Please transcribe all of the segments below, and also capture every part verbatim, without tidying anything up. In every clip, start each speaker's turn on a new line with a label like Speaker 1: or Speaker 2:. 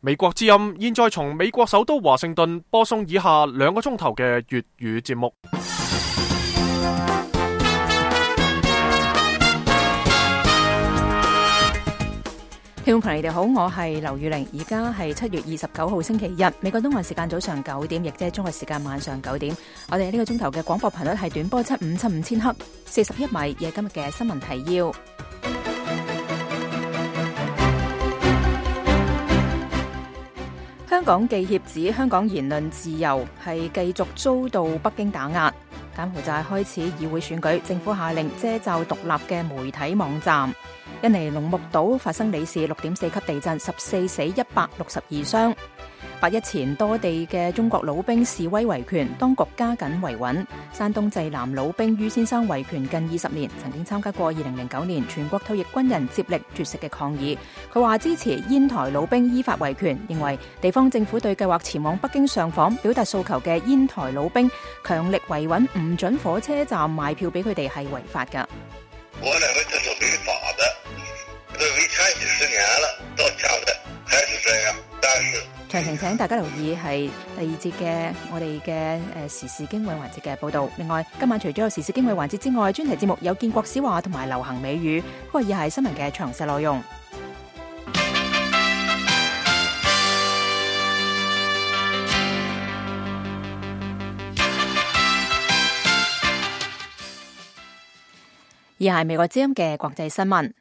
Speaker 1: 美國之音現在從美國首都華盛頓播送以下兩個鐘頭嘅粵語節目。
Speaker 2: 聽眾朋友你哋好，我係劉宇玲，而家係七月二十九號星期日，美國東岸時間早上九點，亦即係中國時間晚上九點。我哋呢個鐘頭嘅廣播頻率係短波七五七五千赫，四十一米。嘢今日嘅新聞提要。香港記協指香港言論自由係繼續遭到北京打壓。柬埔寨開始議會選舉，政府下令遮罩獨立嘅媒體網站。印尼龍目島發生里氏六點四級地震，十四死一百六十二傷。八一前多地嘅中國老兵示威維權，當局加緊維穩。山東濟南老兵于先生維權近二十年，曾經參加過二零零九年全國退役軍人接力絕食嘅抗議。佢話支持煙台老兵依法維權，認為地方政府對計劃前往北京上訪表達訴求嘅煙台老兵強力維穩，唔准火車站賣票俾佢哋係違法㗎。
Speaker 3: 我認為這是違法的，都維權幾十年了，到現在還是這樣。但是
Speaker 2: 詳情請大家留意係第二節嘅我哋嘅誒時事經緯環節嘅報導。另外，今晚除咗有時事經緯環節之外，專題節目有建國史話同埋流行美語。不過以下係新聞嘅詳細內容。以下係美國之音嘅國際新聞。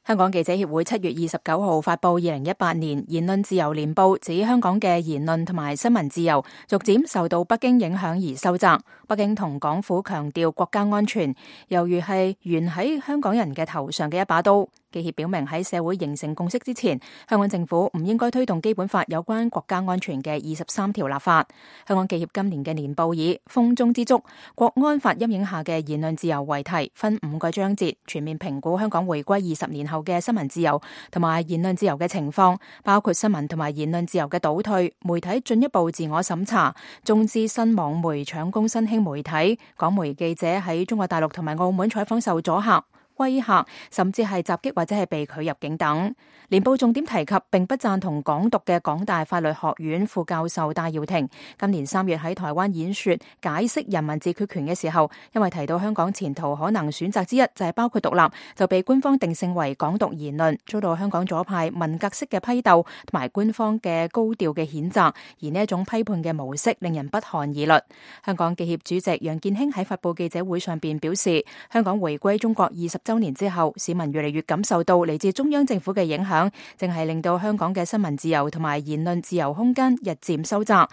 Speaker 2: 香港記者協會七月二十九號發布二零一八年言論自由年報，指香港嘅言論同埋新聞自由逐漸受到北京影響而收窄。北京同港府強調國家安全，猶如係懸喺香港人嘅頭上嘅一把刀。記協表明喺社會形成共識之前，香港政府唔應該推動基本法有關國家安全嘅二十三條立法。香港記協今年嘅年報以風中之燭，國安法陰影下嘅言論自由為題，分五個章節，全面評估香港回歸二十年後嘅新聞自由同埋言論自由嘅情況，包括新聞同埋言論自由嘅倒退、媒體進一步自我審查、中資新網媒搶攻新興媒體、港媒記者喺中國大陸同埋澳門採訪受阻嚇、威嚇，甚至係襲擊或者係被拒入境等。年報重點提及並不贊同港獨嘅港大法律學院副教授戴耀廷，今年三月喺台灣演說解釋人民自決權嘅時候，因為提到香港前途可能選擇之一就係包括獨立，就被官方定性為港獨言論，遭到香港左派文革式嘅批鬥同埋官方嘅高調嘅譴責，而呢一種批判嘅模式令人不寒而慄。香港記協主席楊健興喺發佈記者會上邊表示，香港回歸中國二十周年之後，市民越嚟越感受到嚟自中央政府嘅影響，正係令到香港嘅新聞自由同埋言論自由空間日漸收窄。而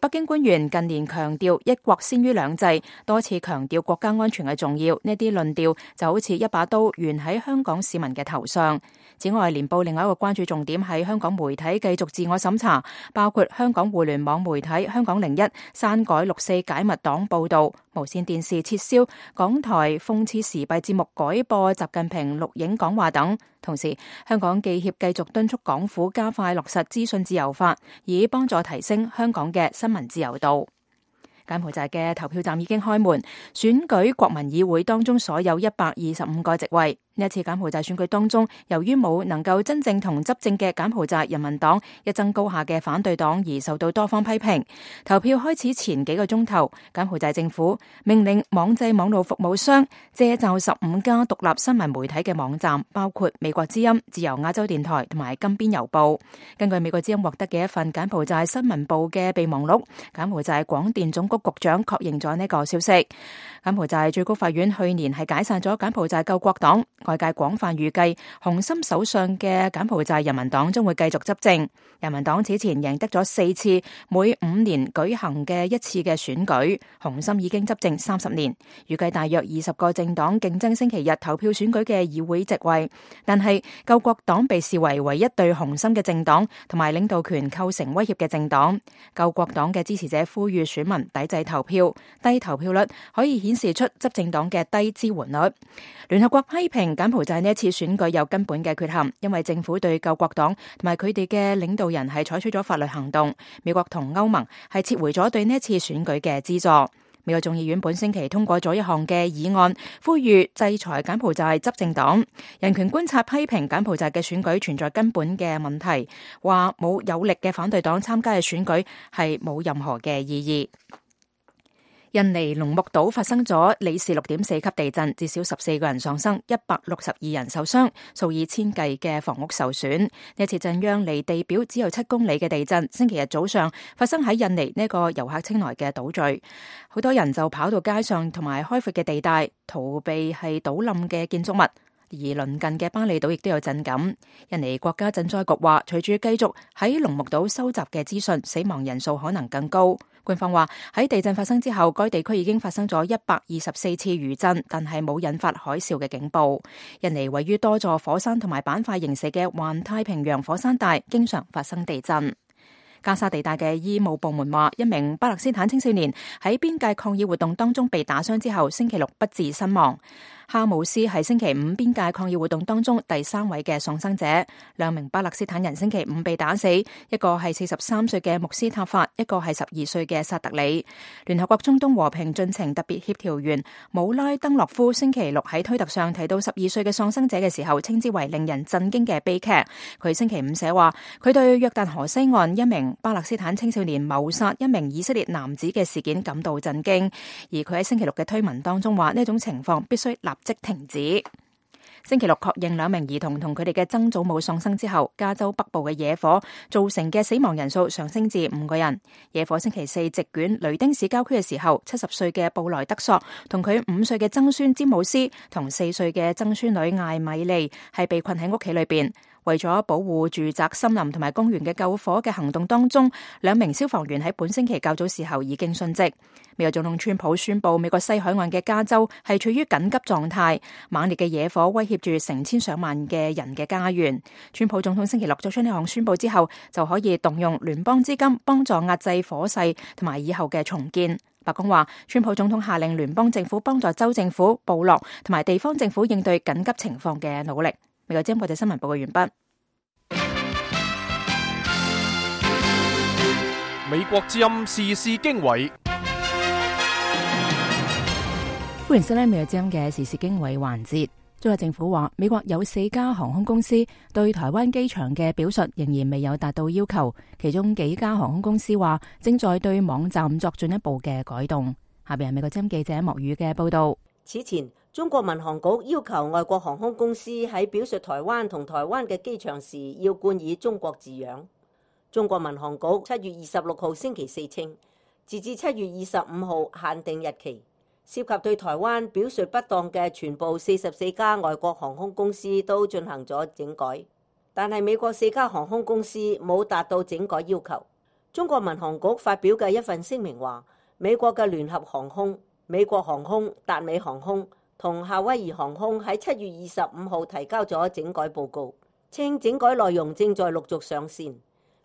Speaker 2: 北京官員近年強調一國先於兩制，多次強調國家安全嘅重要，呢啲論調就好似一把刀懸喺香港市民嘅頭上。此外，年報另外一個關注重點係香港媒體繼續自我審查，包括香港互聯網媒體香港零一刪改六四解密檔報導，無線電視撤銷港台諷刺時弊節目改播習近平錄影講話等。同時，香港記協繼續敦促港府加快落實資訊自由法，以幫助提升香港嘅新聞自由度。柬埔寨嘅投票站已經開門，選舉國民議會當中所有一百二十五個席位。呢一次柬埔寨選舉當中，由於冇能夠真正同執政嘅柬埔寨人民黨一爭高下嘅反對黨而受到多方批評。投票開始前幾個鐘頭，柬埔寨政府命令網際網絡服務商遮罩十五家獨立新聞媒體嘅網站，包括美國之音、自由亞洲電台同埋金邊郵報。根據美國之音獲得嘅一份柬埔寨新聞部嘅備忘錄，柬埔寨廣電總局局長確認咗呢個消息。柬埔寨最高法院去年係解散咗柬埔寨救國黨，外界廣泛預計洪森首相嘅柬埔寨人民黨將會繼續執政。人民黨此前贏得咗四次每五年舉行嘅一次嘅選舉，洪森已經執政三十年，預計大約二十個政黨競爭星期日投票選舉嘅議會席位，但係救國黨被視為唯一對洪森嘅政黨同埋領導權構成威脅嘅政黨。救國黨嘅支持者呼籲選民抵制投票，低投票率可以顯示出執政黨嘅低支援率。聯合國批評柬埔寨呢一次選舉有根本嘅缺陷，因為政府對救國黨同埋佢哋嘅領導人係採取咗法律行動。美國同歐盟係撤回咗對呢一次選舉嘅資助。美國眾議院本星期通過咗一項嘅議案，呼籲制裁柬埔寨執政黨。人權觀察批評柬埔寨嘅選舉存在根本嘅問題，話冇有力嘅反對黨參加嘅選舉係冇任何嘅意義。印尼龍目島發生咗里氏六點四級地震，至少十四個人喪生，一百六十二人受傷，數以千計嘅房屋受損。呢次震央離地表只有七公里嘅地震，星期日早上發生喺印尼呢個遊客稱來嘅島嶼，好多人就跑到街上同埋開闊嘅地帶，逃避係倒冧嘅建築物。而鄰近嘅巴厘島亦都有震感。印尼國家震災局話，隨住繼續喺龍目島收集嘅資訊，死亡人數可能更高。官方話喺地震發生之後，該地區已經發生咗一百二十四次餘震，但係冇引發海嘯嘅警報。印尼位於多座火山同埋板塊形成嘅環太平洋火山帶，經常發生地震。加沙地帶嘅醫務部門話，一名巴勒斯坦青少年喺邊界抗議活動當中被打傷之後，星期六不治身亡。哈姆斯係星期五邊界抗議活動當中第三位嘅喪生者。兩名巴勒斯坦人星期五被打死，一個係四十三歲嘅穆斯塔法，一個係十二歲嘅薩特里。聯合國中東和平進程特別協調員姆拉登洛夫星期六喺推特上提到十二歲嘅喪生者嘅時候，稱之為令人震驚嘅悲劇。佢星期五寫話，佢對約旦河西岸一名巴勒斯坦青少年謀殺一名以色列男子嘅事件感到震驚。而佢喺星期六嘅推文當中話，呢種情況必須立即停止。星期六確認兩名兒童同佢哋嘅曾祖母喪生之後，加州北部嘅野火造成嘅死亡人數上升至五個人。野火星期四席捲雷丁市郊區嘅時候，七十歲嘅布萊德索同佢五歲嘅曾孫詹姆斯同四歲嘅曾孫女艾米莉係被困喺屋企裏邊。為咗保護住宅、森林同埋公園嘅救火嘅行動當中，兩名消防員喺本星期較早時候已經殉職。美國總統川普宣布，美國西海岸嘅加州係處於緊急狀態，猛烈嘅野火威脅住成千上萬嘅人嘅家園。川普總統星期六作出呢項宣布之後，就可以動用聯邦資金幫助壓制火勢同埋以後嘅重建。白宮話，川普總統下令聯邦政府幫助州政府、部落同埋地方政府應對緊急情況嘅努力。美國之音國際新聞報告完畢。
Speaker 1: 美國之音時事經緯，
Speaker 2: 歡迎收聽美國之音嘅時事經緯環節。中國政府話，美國有四家航空公司對台灣機場嘅表述仍然未有達到要求，其中幾家航空公司話正在對網站作進一步嘅改動。下邊係美國之音記者莫宇嘅報道。
Speaker 4: 此前，中國民航局要求外國航空公司喺表述台灣同台灣嘅機場時要冠以中國字樣。中國民航局七月二十六號星期四稱，截至七月二十五號限定日期，涉及對台灣表述不當嘅全部四十四家外國航空公司都進行咗整改，但係美國四家航空公司冇達到整改要求。中國民航局發表嘅一份聲明話，美國嘅聯合航空、美國航空、達美航空同夏威夷航空喺七月二十五號提交咗整改報告，稱整改內容正在陸續上線，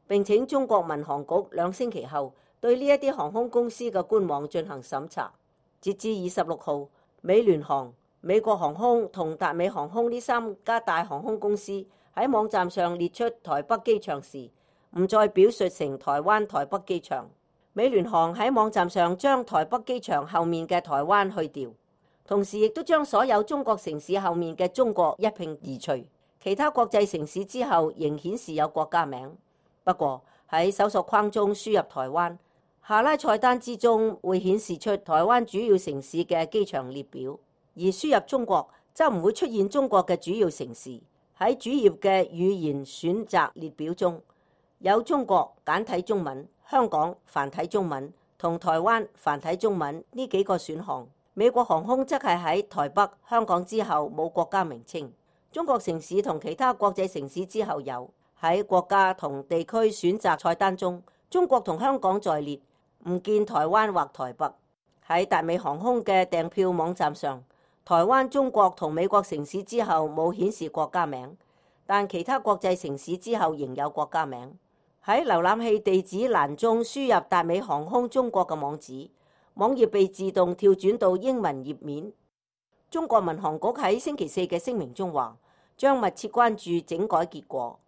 Speaker 4: 並請中國民航局兩星期後對呢一啲航空公司嘅官網進行審查。截至二十六號，美聯航、美國航空同達美航空呢三家大航空公司喺網站上列出台北機場時，唔再表述成台灣台北機場。美聯航喺網站上將台北機場後面嘅台灣去掉，同時亦都將所有中國城市後面嘅中國一併移除。其他國際城市之後仍顯示有國家名，不過喺搜索框中輸入台灣，下拉菜單之中會顯示出台灣主要城市嘅機場列表，而輸入中國則唔會出現中國嘅主要城市。喺主頁嘅語言選擇列表中，有中國簡體中文、香港繁體中文同台灣繁體中文呢幾個選項。美國航空則係喺台北、香港之後冇國家名稱，中國城市同其他國際城市之後有。喺國家同地區選擇菜單中，中國同香港在列，唔見台灣或台北。喺達美航空嘅訂票網站上，台灣、中國同美國城市之後冇顯示國家名，但其他國際城市之後仍有國家名。喺瀏覽器地址欄中輸入達美航空中國嘅網址，網頁被自動跳轉到英文頁面。中國民航局喺星期四嘅聲明中話，將密切關注整改結果，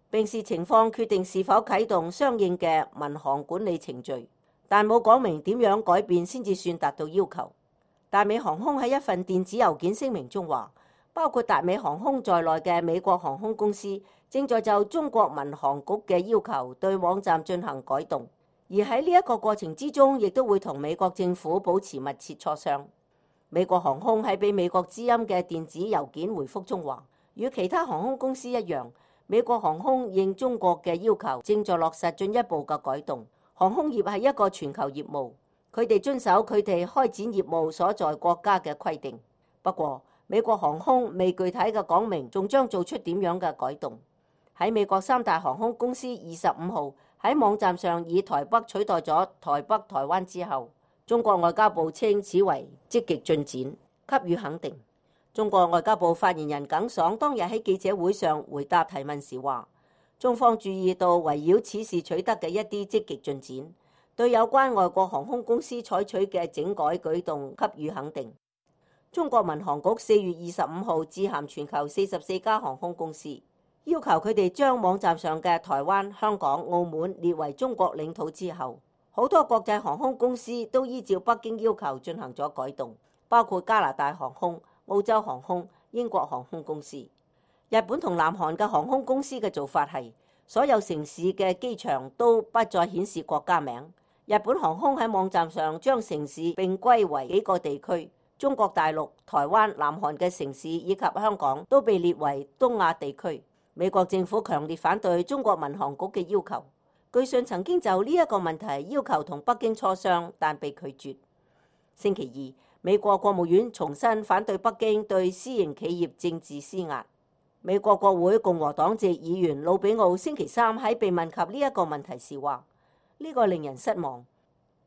Speaker 4: 並視情況決定是否啟動相應嘅民航管理程序。但冇講明點樣改變先至算達到要求。達美航空喺一份電子郵件聲明中話，包括達美航空在內嘅美國航空公司正在就中國民航局嘅要求對網站進行改動，而喺呢一個過程之中，亦都會同美國政府保持密切磋商。美國航空喺俾美國之音嘅電子郵件回覆中話，與其他航空公司一樣，美國航空應中國嘅要求，正在落實進一步嘅改動。航空業係一個全球業務，佢哋遵守佢哋開展業務所在國家嘅規定。不過，美國航空未具體嘅講明，仲將做出點樣嘅改動。喺美國三大航空公司二十五號喺網站上以台北取代咗台北、台灣之後，中國外交部稱此為積極進展，給予肯定。中國外交部發言人耿爽當日喺記者會上回答提問時話，中方注意到圍繞此事取得嘅一啲積極進展，對有關外國航空公司採取嘅整改舉動給予肯定。中國民航局四月二十五號致函全球四十四家航空公司，要求佢哋將網站上嘅台灣、香港、澳門列為中國領土之後，好多國際航空公司都依照北京要求進行咗改動，包括加拿大航空、澳洲航空、英國航空公司。日本同南韓嘅航空公司嘅做法係，所有城市嘅機場都不再顯示國家名。日本航空喺網站上將城市並歸為幾個地區，中國大陸、台灣、南韓嘅城市以及香港都被列為東亞地區。美國政府強烈反對中國民航局嘅要求。據信曾經就呢一個問題要求同北京磋商，但被拒絕。星期二，美國國務院重新反對北京對私營企業政治施壓。美國國會共和黨籍議員魯比奧星期三喺被問及呢一個問題時話：呢個令人失望。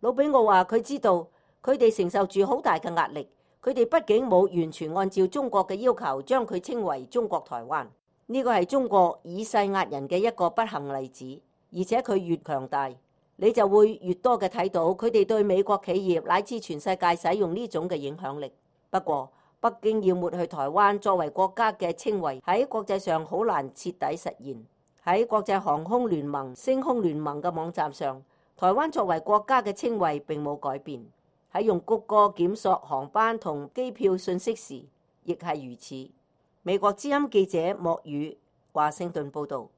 Speaker 4: 魯比奧話佢知道佢哋承受住好大嘅壓力，佢哋畢竟冇完全按照中國嘅要求將佢稱為中國台灣。呢個係中國以勢壓人嘅一個不幸例子。而且佢越強大，你就會越多嘅睇到佢哋對美國企業乃至全世界使用呢種嘅影響力。不過，北京要抹去台灣作為國家嘅稱謂，喺國際上好難徹底實現。喺國際航空聯盟、星空聯盟嘅網站上，台灣作為國家嘅稱謂並冇改變。喺用谷歌檢索航班同機票信息時，亦係如此。美國之音記者莫宇華盛頓報導。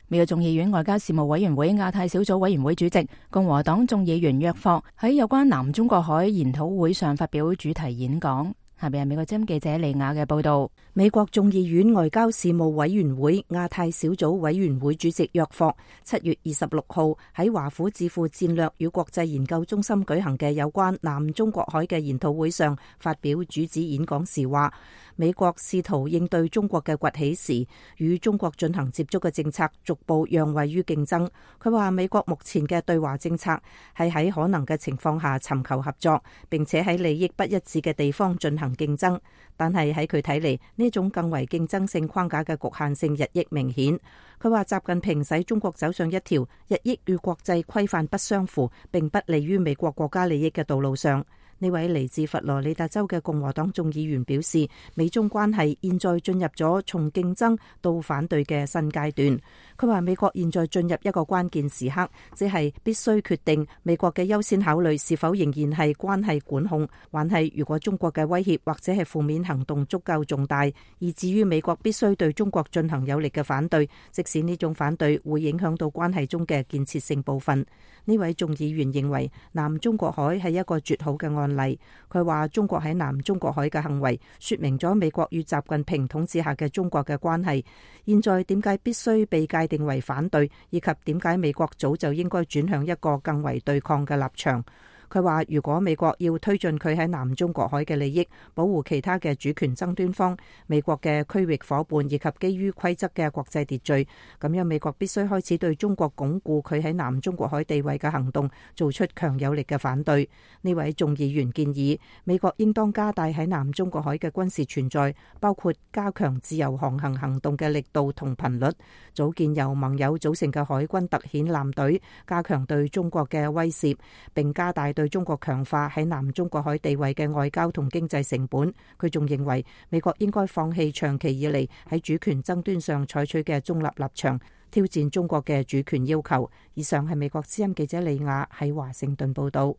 Speaker 2: 美國眾議院外交事務委員會亞太小組委員會主席共和黨眾議員約霍喺有關南中國海研討會上發表主題演講。下邊係美國之音記者利亞嘅報道。
Speaker 5: 美國眾議院外交事務委員會亞太小組委員會主席約霍七月二十六號喺華府智庫戰略與國際研究中心舉行嘅有關南中國海嘅研討會上發表主旨演講時話，美國試圖應對中國嘅崛起時，與中國進行接觸嘅政策逐步讓位於競爭。佢話美國目前嘅對華政策係喺可能嘅情況下尋求合作，並且喺利益不一致嘅地方進行競爭。但係喺佢睇嚟，呢種更為競爭性框架嘅局限性日益明顯。佢話習近平使中國走上一條日益與國際規範不相符，並不利於美國國家利益嘅道路上。呢位嚟自佛羅里達州嘅共和黨眾議員表示，美中關係現在進入咗從競爭到反對嘅新階段。佢話美國現在進入一個關鍵時刻，即係必須決定美國嘅優先考慮是否仍然係關係管控，還係如果中國嘅威脅或者係負面行動足夠重大，以至於美國必須對中國進行有力嘅反對，即使呢種反對會影響到關係中嘅建設性部分。呢位眾議員認為南中國海係一個絕好嘅案例。佢話中國喺南中國海嘅行為說明咗美國與習近平統治下嘅中國嘅關係，現在點解必須被界定為反對，以及點解美國早就應該轉向一個更為對抗嘅立場。佢話如果美國要推進佢喺南中國海嘅利益，保護其他嘅主權爭端方、美國嘅區域夥伴以及基於規則嘅國際秩序，咁樣美國必須開始對中國鞏固佢喺南中國海地位嘅行動做出強有力嘅反對。呢位眾議員建議美國應當加大喺南中國海嘅軍事存在，包括加強自由航行行動嘅力度同頻率，組建由盟友組成嘅海軍特遣艦隊，加強對中國嘅威懾，並加大對對中國強化喺南中國海地位嘅外交同經濟成本。佢仲認為美國應該放棄長期以嚟喺主權爭端上採取嘅中立立場，挑戰中國嘅主權要求。以上係美國之音記者李雅喺華盛頓報道。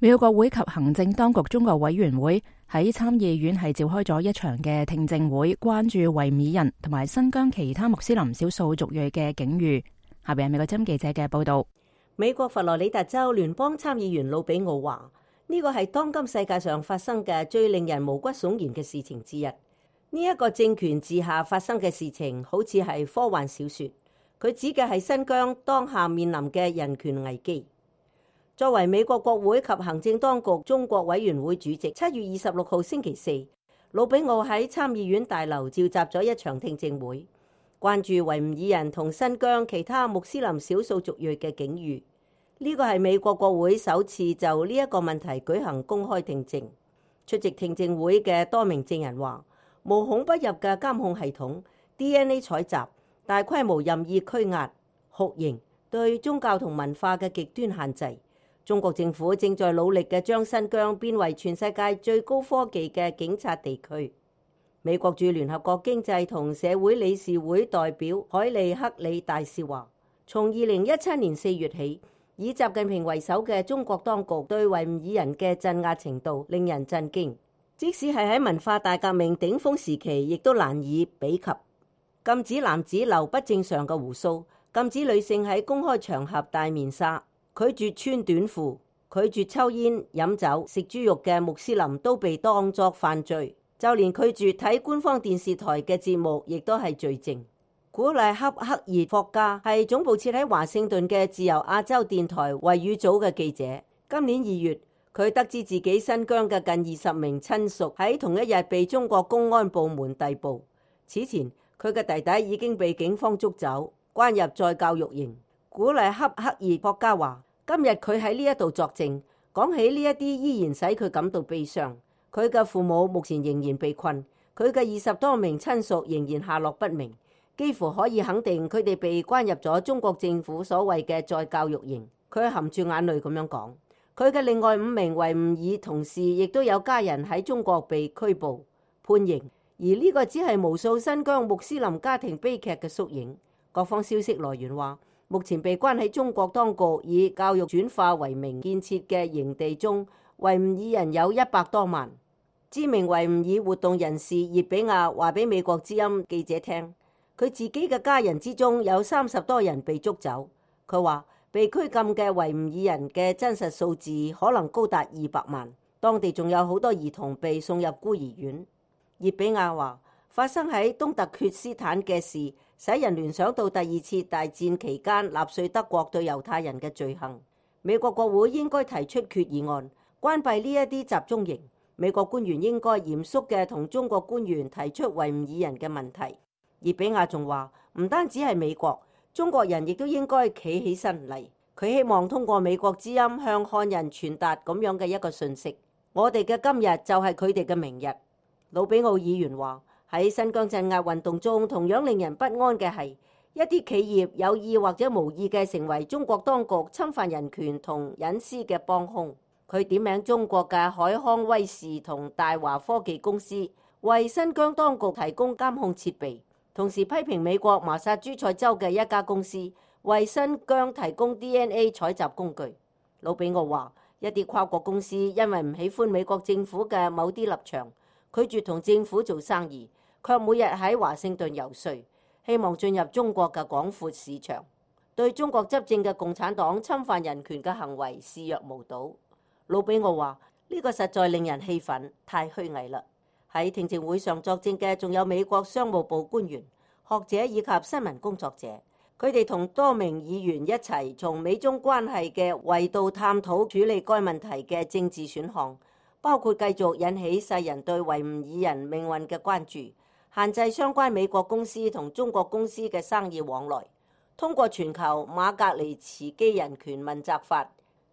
Speaker 2: 美國國會及行政當局中國委員會喺參議院係召開咗一場嘅聽證會，關注維吾爾人同埋新疆其他穆斯林少數族裔嘅境遇。下邊係美國之音記者嘅報道。
Speaker 4: 美國佛羅里達州聯邦參議員魯比奧話：呢個係當今世界上發生嘅最令人毛骨悚然嘅事情之一。呢、這、一個政權治下發生嘅事情，好似係科幻小說。佢指嘅係新疆當下面臨嘅人權危機。作為美國國會及行政當局中國委員會主席，七月二十六號星期四，魯比奧喺參議院大樓召集咗一場聽證會，關注維吾爾人同新疆其他穆斯林少數族裔嘅境遇。呢個係美國國會首次就呢一個問題舉行公開聽證。出席聽證會嘅多名證人話，無孔不入嘅監控系統、D N A 採集、大規模任意拘押、酷刑、對宗教同文化嘅極端限制。中國政府正在努力嘅將新疆變為全世界最高科技嘅警察地區。美國駐聯合國經濟同社會理事會代表海利克里大使話，從二零一七年四月起，以習近平為首嘅中國當局對維吾爾人嘅鎮壓程度令人震驚，即使係喺文化大革命頂峰時期，亦都難以比及。禁止男子留不正常嘅鬍鬚，禁止女性喺公開場合戴面紗，拒絕穿短褲，拒絕抽煙、飲酒、食豬肉嘅穆斯林都被當作犯罪，就連拒絕睇官方電視台嘅節目亦都係罪證。古麗恰克熱霍加係總部設喺華盛頓嘅自由亞洲電台維語組嘅記者。今年二月，佢得知自己新疆嘅近二十名親屬喺同一日被中國公安部門逮捕。此前，佢嘅弟弟已經被警方捉走，關入再教育營。古麗恰克熱霍加話：今日佢喺呢一度作證，講起呢一啲依然使佢感到悲傷。佢嘅父母目前仍然被困，佢嘅二十多名親屬仍然下落不明，幾乎可以肯定佢哋被關入咗中國政府所謂嘅再教育營。佢含住眼淚咁樣講，佢嘅另外五名維吾爾同事亦都有家人喺中國被拘捕判刑，而呢個只係無數新疆穆斯林家庭悲劇嘅縮影。各方消息來源話，目前被關喺中國當局以教育轉化為名建設嘅營地中，維吾爾人有一百多萬。知名維吾爾活動人士葉比亞話俾美國之音記者聽，佢自己嘅家人之中有三十多人被捉走。佢話被拘禁嘅維吾爾人嘅真實數字可能高達二百萬，當地仲有好多兒童被送入孤兒院。葉比亞話，發生喺東突厥斯坦嘅事使人聯想到第二次大戰期間納粹德國對猶太人嘅罪行。美國國會應該提出決議案，關閉呢一啲集中營。美國官員應該嚴肅嘅同中國官員提出維吾爾人嘅問題。葉比亞仲話，唔單止係美國，中國人亦都應該企起身嚟。佢希望通過美國之音向漢人傳達咁樣嘅一個訊息：我哋嘅今日就係佢哋嘅明日。魯比奧議員話，喺新疆鎮壓運動中，同樣令人不安嘅係一啲企業有意或者無意嘅成為中國當局侵犯人權同隱私嘅幫兇。佢點名中國嘅海康威視同大華科技公司為新疆當局提供監控設備，同時批評美國麻薩諸塞州嘅一家公司為新疆提供 D N A 採集工具。魯比奧話，一啲跨國公司因為唔喜歡美國政府嘅某啲立場，拒絕同政府做生意，卻每日喺華盛頓遊說，希望進入中國嘅廣闊市場，對中國執政嘅共產黨侵犯人權嘅行為視若無睹。魯比奧話，呢個實在令人氣憤，太虛偽啦。喺聽證會上作證嘅仲有美國商務部官員、學者以及新聞工作者，佢哋同多名議員一齊從美中關係嘅維度探討處理該問題嘅政治選項，包括繼續引起世人對維吾爾人命運嘅關注，限制相關美國公司同中國公司嘅生意往來，通過全球馬格尼茨基人權問責法，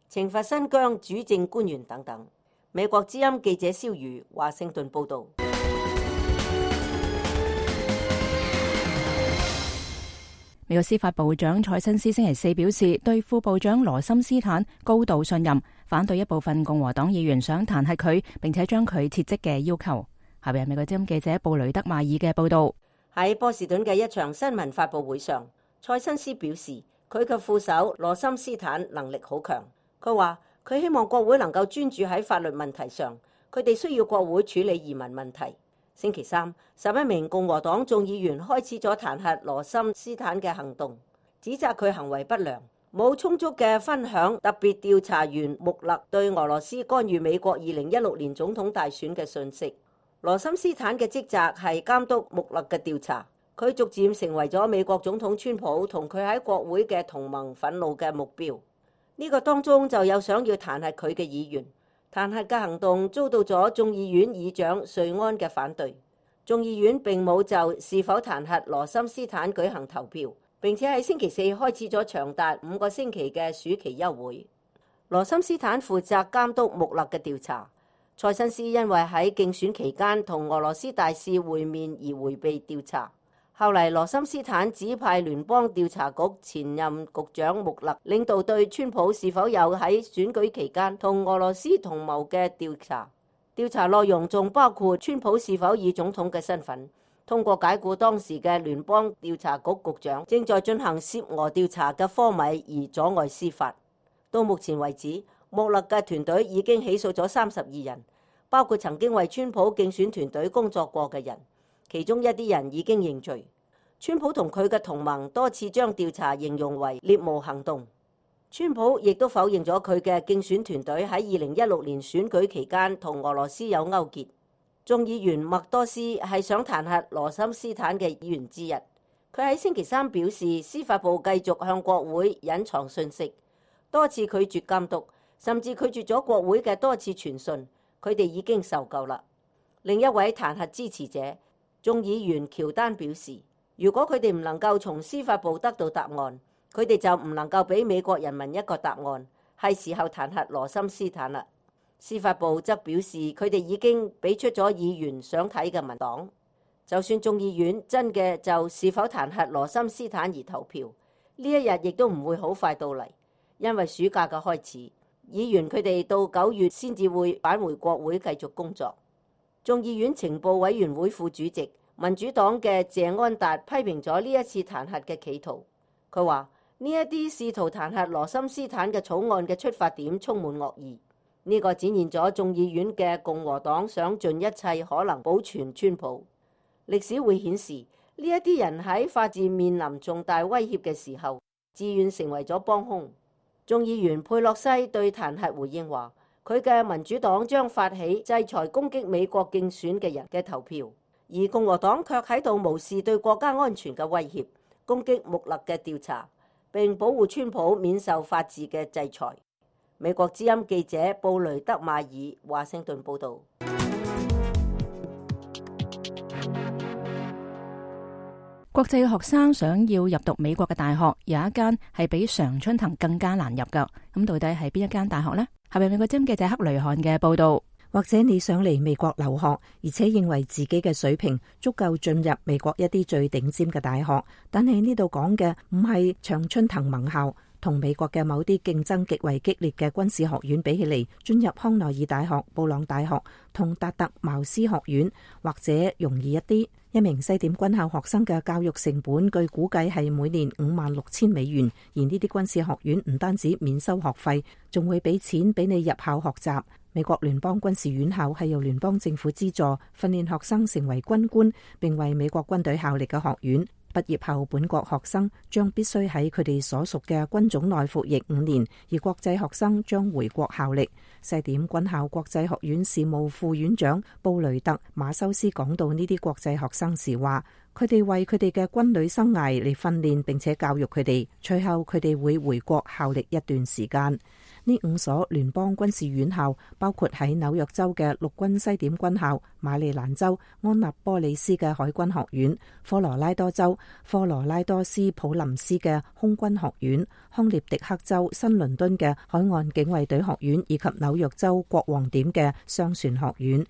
Speaker 4: 懲罰新疆主政官員等等。美國之音記者蕭如華盛頓報道。
Speaker 2: 美國司法部長蔡新斯星期四表示，對副部長羅森斯坦高度信任，反對一部分共和黨議員想彈劾佢並且將佢撤職嘅要求。下邊係美國之音記者布雷德馬爾嘅報道。
Speaker 4: 喺波士頓嘅一場新聞發佈會上，塞申斯表示佢嘅副手羅森斯坦能力好強。佢話佢希望國會能夠專注喺法律問題上，佢哋需要國會處理移民問題。星期三，十一名共和黨眾議員開始咗彈劾羅森斯坦嘅行動，指責佢行為不良，冇充足嘅分享特別調查員穆勒對俄羅斯干預美國二零一六年總統大選嘅訊息。羅森斯坦嘅職責係監督穆勒嘅調查，佢逐漸成為咗美國總統川普同佢喺國會嘅同盟憤怒嘅目標。呢、這個當中就有想要彈劾佢嘅議員。彈劾嘅行動遭到咗眾議院議長瑞安嘅反對，眾議院並冇就是否彈劾羅森斯坦舉行投票，並且喺星期四開始咗長達五個星期嘅暑期休會。羅森斯坦負責監督穆勒嘅調查。塞申斯因為喺競選期間同俄羅斯大使會面而迴避調查。後嚟羅森斯坦指派聯邦調查局前任局長穆勒領導對川普是否有喺選舉期間同俄羅斯同謀嘅調查。調查內容仲包括川普是否以總統嘅身份通過解雇當時嘅聯邦調查局局長正在進行涉俄調查嘅科米而阻礙司法。到目前為止，穆勒嘅團隊已經起訴咗三十二人，包括曾經為川普競選團隊工作過嘅人。其中一啲人已經認罪。川普同佢嘅同盟多次將調查形容為獵巫行動。川普亦都否認咗佢嘅競選團隊喺二零一六年選舉期間同俄羅斯有勾結。眾議員麥多斯係想彈劾羅森斯坦嘅議員之一。佢喺星期三表示，司法部繼續向國會隱藏信息，多次拒絕監督，甚至拒絕咗國會嘅多次傳訊。佢哋已經受夠啦。另一位彈劾支持者眾議員喬丹表示，如果佢哋唔能夠從司法部得到答案，佢哋就唔能夠俾美國人民一個答案，係時候彈劾羅森斯坦啦。司法部則表示，佢哋已經俾出咗議員想睇嘅文檔。就算眾議院真嘅就是否彈劾羅森斯坦而投票，呢一日亦都唔會好快到嚟，因為暑假嘅開始，議員佢哋到九月先至會返回國會繼續工作。眾議院情報委員會副主席民主黨嘅謝安達批評咗呢一次彈劾嘅企圖。佢話呢一啲試圖彈劾羅森斯坦嘅草案嘅出發點充滿惡意，呢、這個展現咗眾議院嘅共和黨想盡一切可能保存川普。歷史會顯示，呢一啲人喺法治面臨重大威脅嘅時候，自願成為咗幫兇。眾議員佩洛西對彈劾回應話，佢嘅民主黨將發起制裁攻擊美國競選嘅人嘅投票，而共和黨卻喺度無視對國家安全嘅威脅，攻擊穆勒嘅調查，並保護川普免受法治嘅制裁。美國之音記者布雷德馬爾華盛頓報導。
Speaker 2: 國際嘅學生想要入讀美國嘅大學，有一間係比常春藤更加難入噶。咁到底係邊一間大學呢？下邊美國之音記者克雷漢嘅報道。
Speaker 5: 或者你想嚟美國留學，而且認為自己嘅水平足夠進入美國一啲最頂尖嘅大學，但係呢度講嘅唔係常春藤盟校，同美國嘅某啲競爭極為激烈嘅軍事學院比起嚟，進入康奈爾大學、布朗大學同達特茅斯學院或者容易一啲。一名西點軍校學生嘅教育成本據估計係每年五萬六千美元，而呢啲軍事學院唔單止免收學費，仲會俾錢俾你入校學習。美國聯邦軍事院校係由聯邦政府資助，訓練學生成為軍官並為美國軍隊效力嘅學院。畢業後，本國學生將必須喺佢哋所屬嘅軍種內服役五年，而國際學生將回國效力。西點軍校國際學院事務副院長布雷特馬修斯講到呢啲國際學生時話，佢哋為佢哋嘅軍旅生涯嚟訓練並且教育佢哋，隨後佢哋會回國效力一段時間。呢五所聯邦軍事院校包括喺紐約州嘅陸軍西點軍校、馬里蘭州安納波利斯嘅海軍學院、科羅拉多州科羅拉多斯普林斯嘅空軍學院、康涅狄克州新倫敦嘅海岸警衛隊學院，以及紐約州國王點嘅商船學院。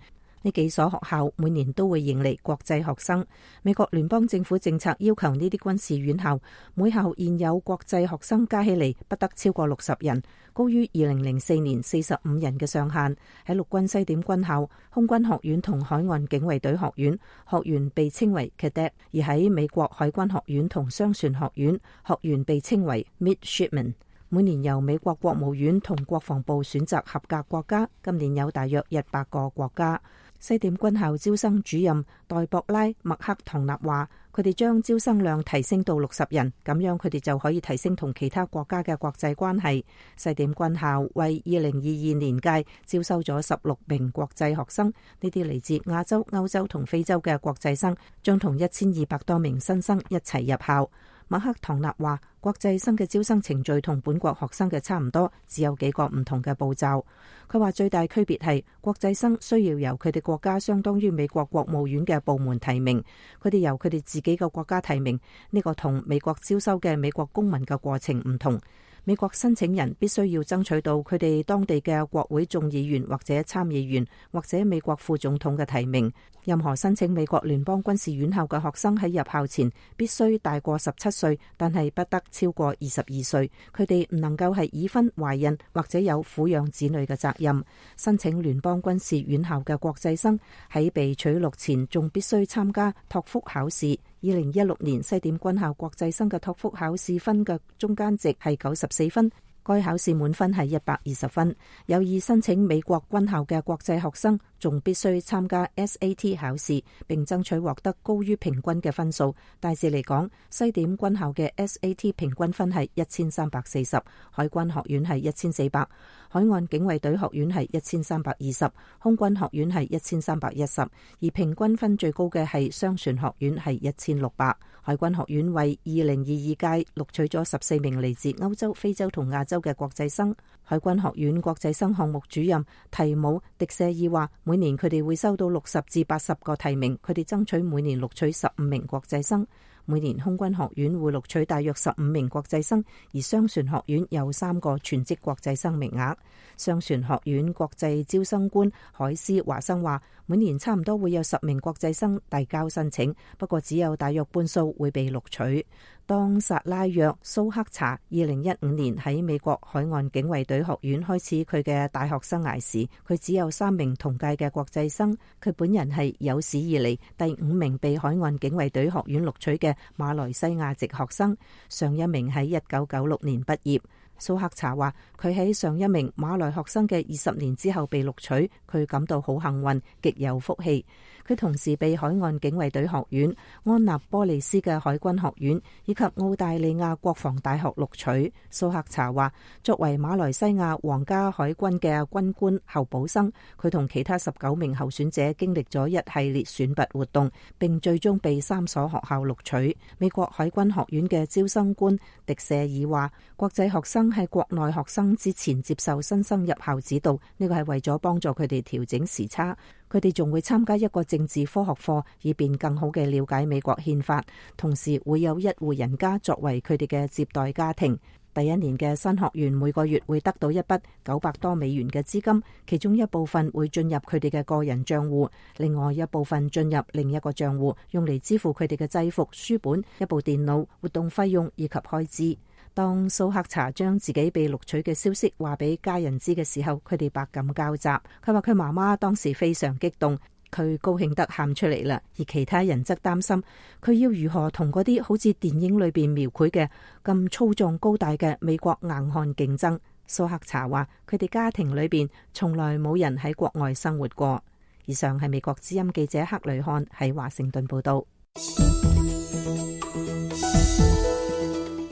Speaker 5: 呢幾所學校每年都會迎嚟國際學生。美國聯邦政府政策要求呢啲軍事院校每校現有國際學生加起嚟不得超過六十人，高於二零零四年四十五人嘅上限。喺陸軍西點軍校、空軍學院同海岸警衛隊學院，學員被稱為 cadet；而喺美國海軍學院同商船學院，學員被稱為 midshipmen。每年由美國國務院同國防部選擇合格國家，今年有大約一百個國家。西點軍校招生主任黛博拉·麥克唐納話，佢哋將招生量提升到六十人，咁樣佢哋就可以提升同其他國家嘅國際關係。西點軍校為二零二二年屆招收咗十六名國際學生，呢啲嚟自亞洲、歐洲同非洲嘅國際生將同一千二百多名新生一齊入校。麥克唐納話，國際生嘅招生程序同本國學生嘅差唔多，只有幾個唔同嘅步驟。佢話最大區別係國際生需要由佢哋國家相當於美國國務院嘅部門提名，佢哋由佢哋自己嘅國家提名，呢個同美國招收嘅美國公民嘅過程唔同。美國申請人必須要爭取到佢哋當地嘅國會眾議員或者參議員或者美國副總統嘅提名。任何申請美國聯邦軍事院校嘅學生喺入校前必須大過十七歲，但係不得超過二十二歲。佢哋唔能夠係已婚、懷孕或者有撫養子女嘅責任。申請聯邦軍事院校嘅國際生喺被取錄前仲必須參加托福考試。二零一六年西點軍校國際生嘅托福考試分嘅中間值係九十四分，該考試滿分係一百二十分。有意申請美國軍校嘅國際學生仲必須參加 S A T 考試，並爭取獲得高於平均嘅分數。大致嚟講，西點軍校嘅 S A T 平均分係一千三百四十，海軍學院係一千四百，海岸警衛隊學院係一千三百二十，空軍學院係一千三百一十，而平均分最高嘅係商船學院係一千六百。海軍學院為二零二二屆錄取咗十四名嚟自歐洲、非洲同亞洲嘅國際生。海軍學院國際生項目主任提姆迪舍爾話，每年佢哋會收到六十至八十個提名，佢哋爭取每年錄取十五名國際生。每年空軍學院會錄取大約十五名國際生，而商船學院有三個全職國際生名額。商船學院國際招生官海斯華生話，每年差唔多會有十名國際生遞交申請，不過只有大約半數會被錄取。當薩拉約蘇克查二零一五年喺美國海岸警衛隊學院開始佢嘅大學生涯時，佢只有三名同屆嘅國際生。佢本人係有史以嚟第五名被海岸警衛隊學院錄取嘅馬來西亞籍學生，上一名喺一九九六年畢業。蘇克查話，佢喺上一名馬來學生嘅二十年之後被錄取，佢感到好幸運，極有福氣。佢同時被海岸警衛隊學院、安納波利斯嘅海軍學院以及澳大利亞國防大學錄取。蘇克查話，作為馬來西亞皇家海軍嘅軍官候補生，佢同其他十九名候選者經歷咗一系列選拔活動，並最終被三所學校錄取。美國海軍學院嘅招生官迪舍爾話，國際學生喺國內學生之前接受新生入校指導，呢個係為咗幫助佢哋調整時差。佢哋仲會參加一個政治科學課，以便更好嘅了解美國憲法。同時會有一戶人家作為佢哋嘅接待家庭。第一年嘅新學員每個月會得到一筆九百多美元嘅資金，其中一部分會進入佢哋嘅個人賬戶，另外一部分進入另一個賬戶，用嚟支付佢哋嘅制服、書本、一部電腦、活動費用以及開支。當蘇克查將自己被錄取嘅消息話俾家人知嘅時候，佢哋百感交集。佢話佢媽媽當時非常激動，佢高興得喊出嚟啦，而其他人則擔心佢要如何同嗰啲好似電影裏邊描繪嘅咁粗壯高大嘅美國硬漢競爭。蘇克查話佢哋家庭裏邊從來冇人喺國外生活過。以上係美國之音記者克雷漢喺華盛頓報道。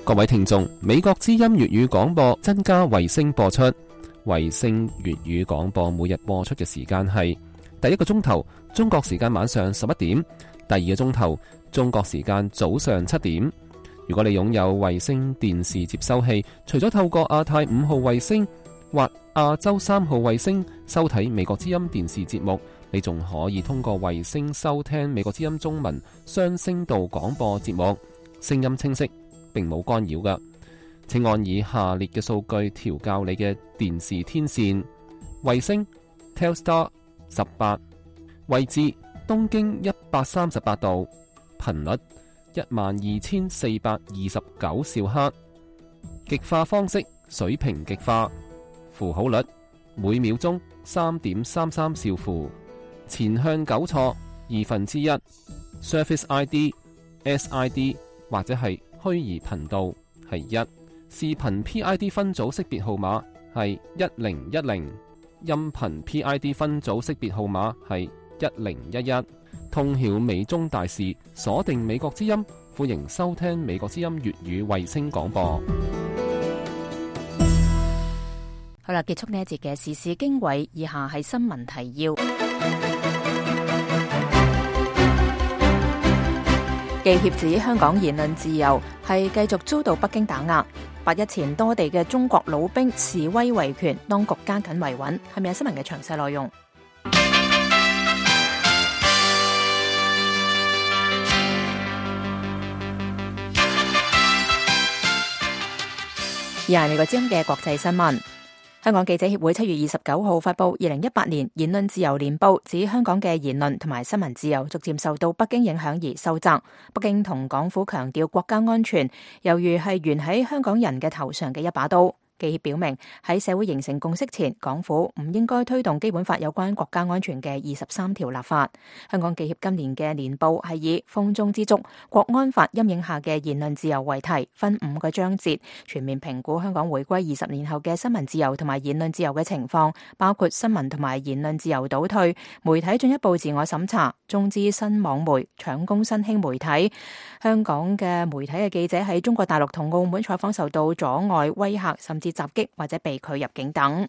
Speaker 6: 各位聽眾，美國之音粵語廣播增加衛星播出。衛星粵語廣播每日播出嘅時間係第一個鐘頭中國時間晚上十一點，第二個鐘頭中國時間早上七點。如果你擁有衛星電視接收器，除咗透過亞太五號衛星或亞洲三號衛星收睇美國之音電視節目，你仲可以通過衛星收聽美國之音中文雙聲道廣播節目，聲音清晰，並冇干擾㗎。請按以下列嘅數據調校你嘅電視天線：衛星 Telstar 十八位置東經一百三十八度，頻率一萬二千四百二十九兆赫，極化方式水平極化，符號率每秒鐘三點三三兆符，前向糾錯二分之一 ，Surface I D、S I D 或者係虛擬頻道係一，視頻 P I D 分組識別號碼係一零一零，音頻 P I D 分組識別號碼係一零一一。通曉美中大事，鎖定美國之音，歡迎收聽美國之音粵語衛星廣播。
Speaker 2: 好啦，結束呢一節嘅時事經緯，以下係新聞提要。記協指香港言論自由係繼續遭到北京打壓。八一前多地嘅中國老兵示威維權，當局加緊維穩。係咪有新聞嘅詳細內容？而係美國之音嘅國際新聞。香港記者協會七月二十九號發布二零一八年言論自由年報，指香港嘅言論同埋新聞自由逐漸受到北京影響而收窄。北京同港府強調國家安全，猶如係懸喺香港人嘅頭上嘅一把刀。記協表明，喺社會形成共識前，港府唔應該推動基本法有關國家安全嘅二十三條立法。香港記協今年嘅年報係以風中之燭國安法陰影下嘅言論自由為題，分五個章節，全面評估香港回歸二十年後嘅新聞自由同埋言論自由嘅情況，包括新聞同埋言論自由倒退、媒體進一步自我審查、中資新網媒搶攻新興媒體、香港嘅媒體嘅記者喺中國大陸同澳門採訪受到阻礙、威嚇，甚至襲擊或者被拒入境等。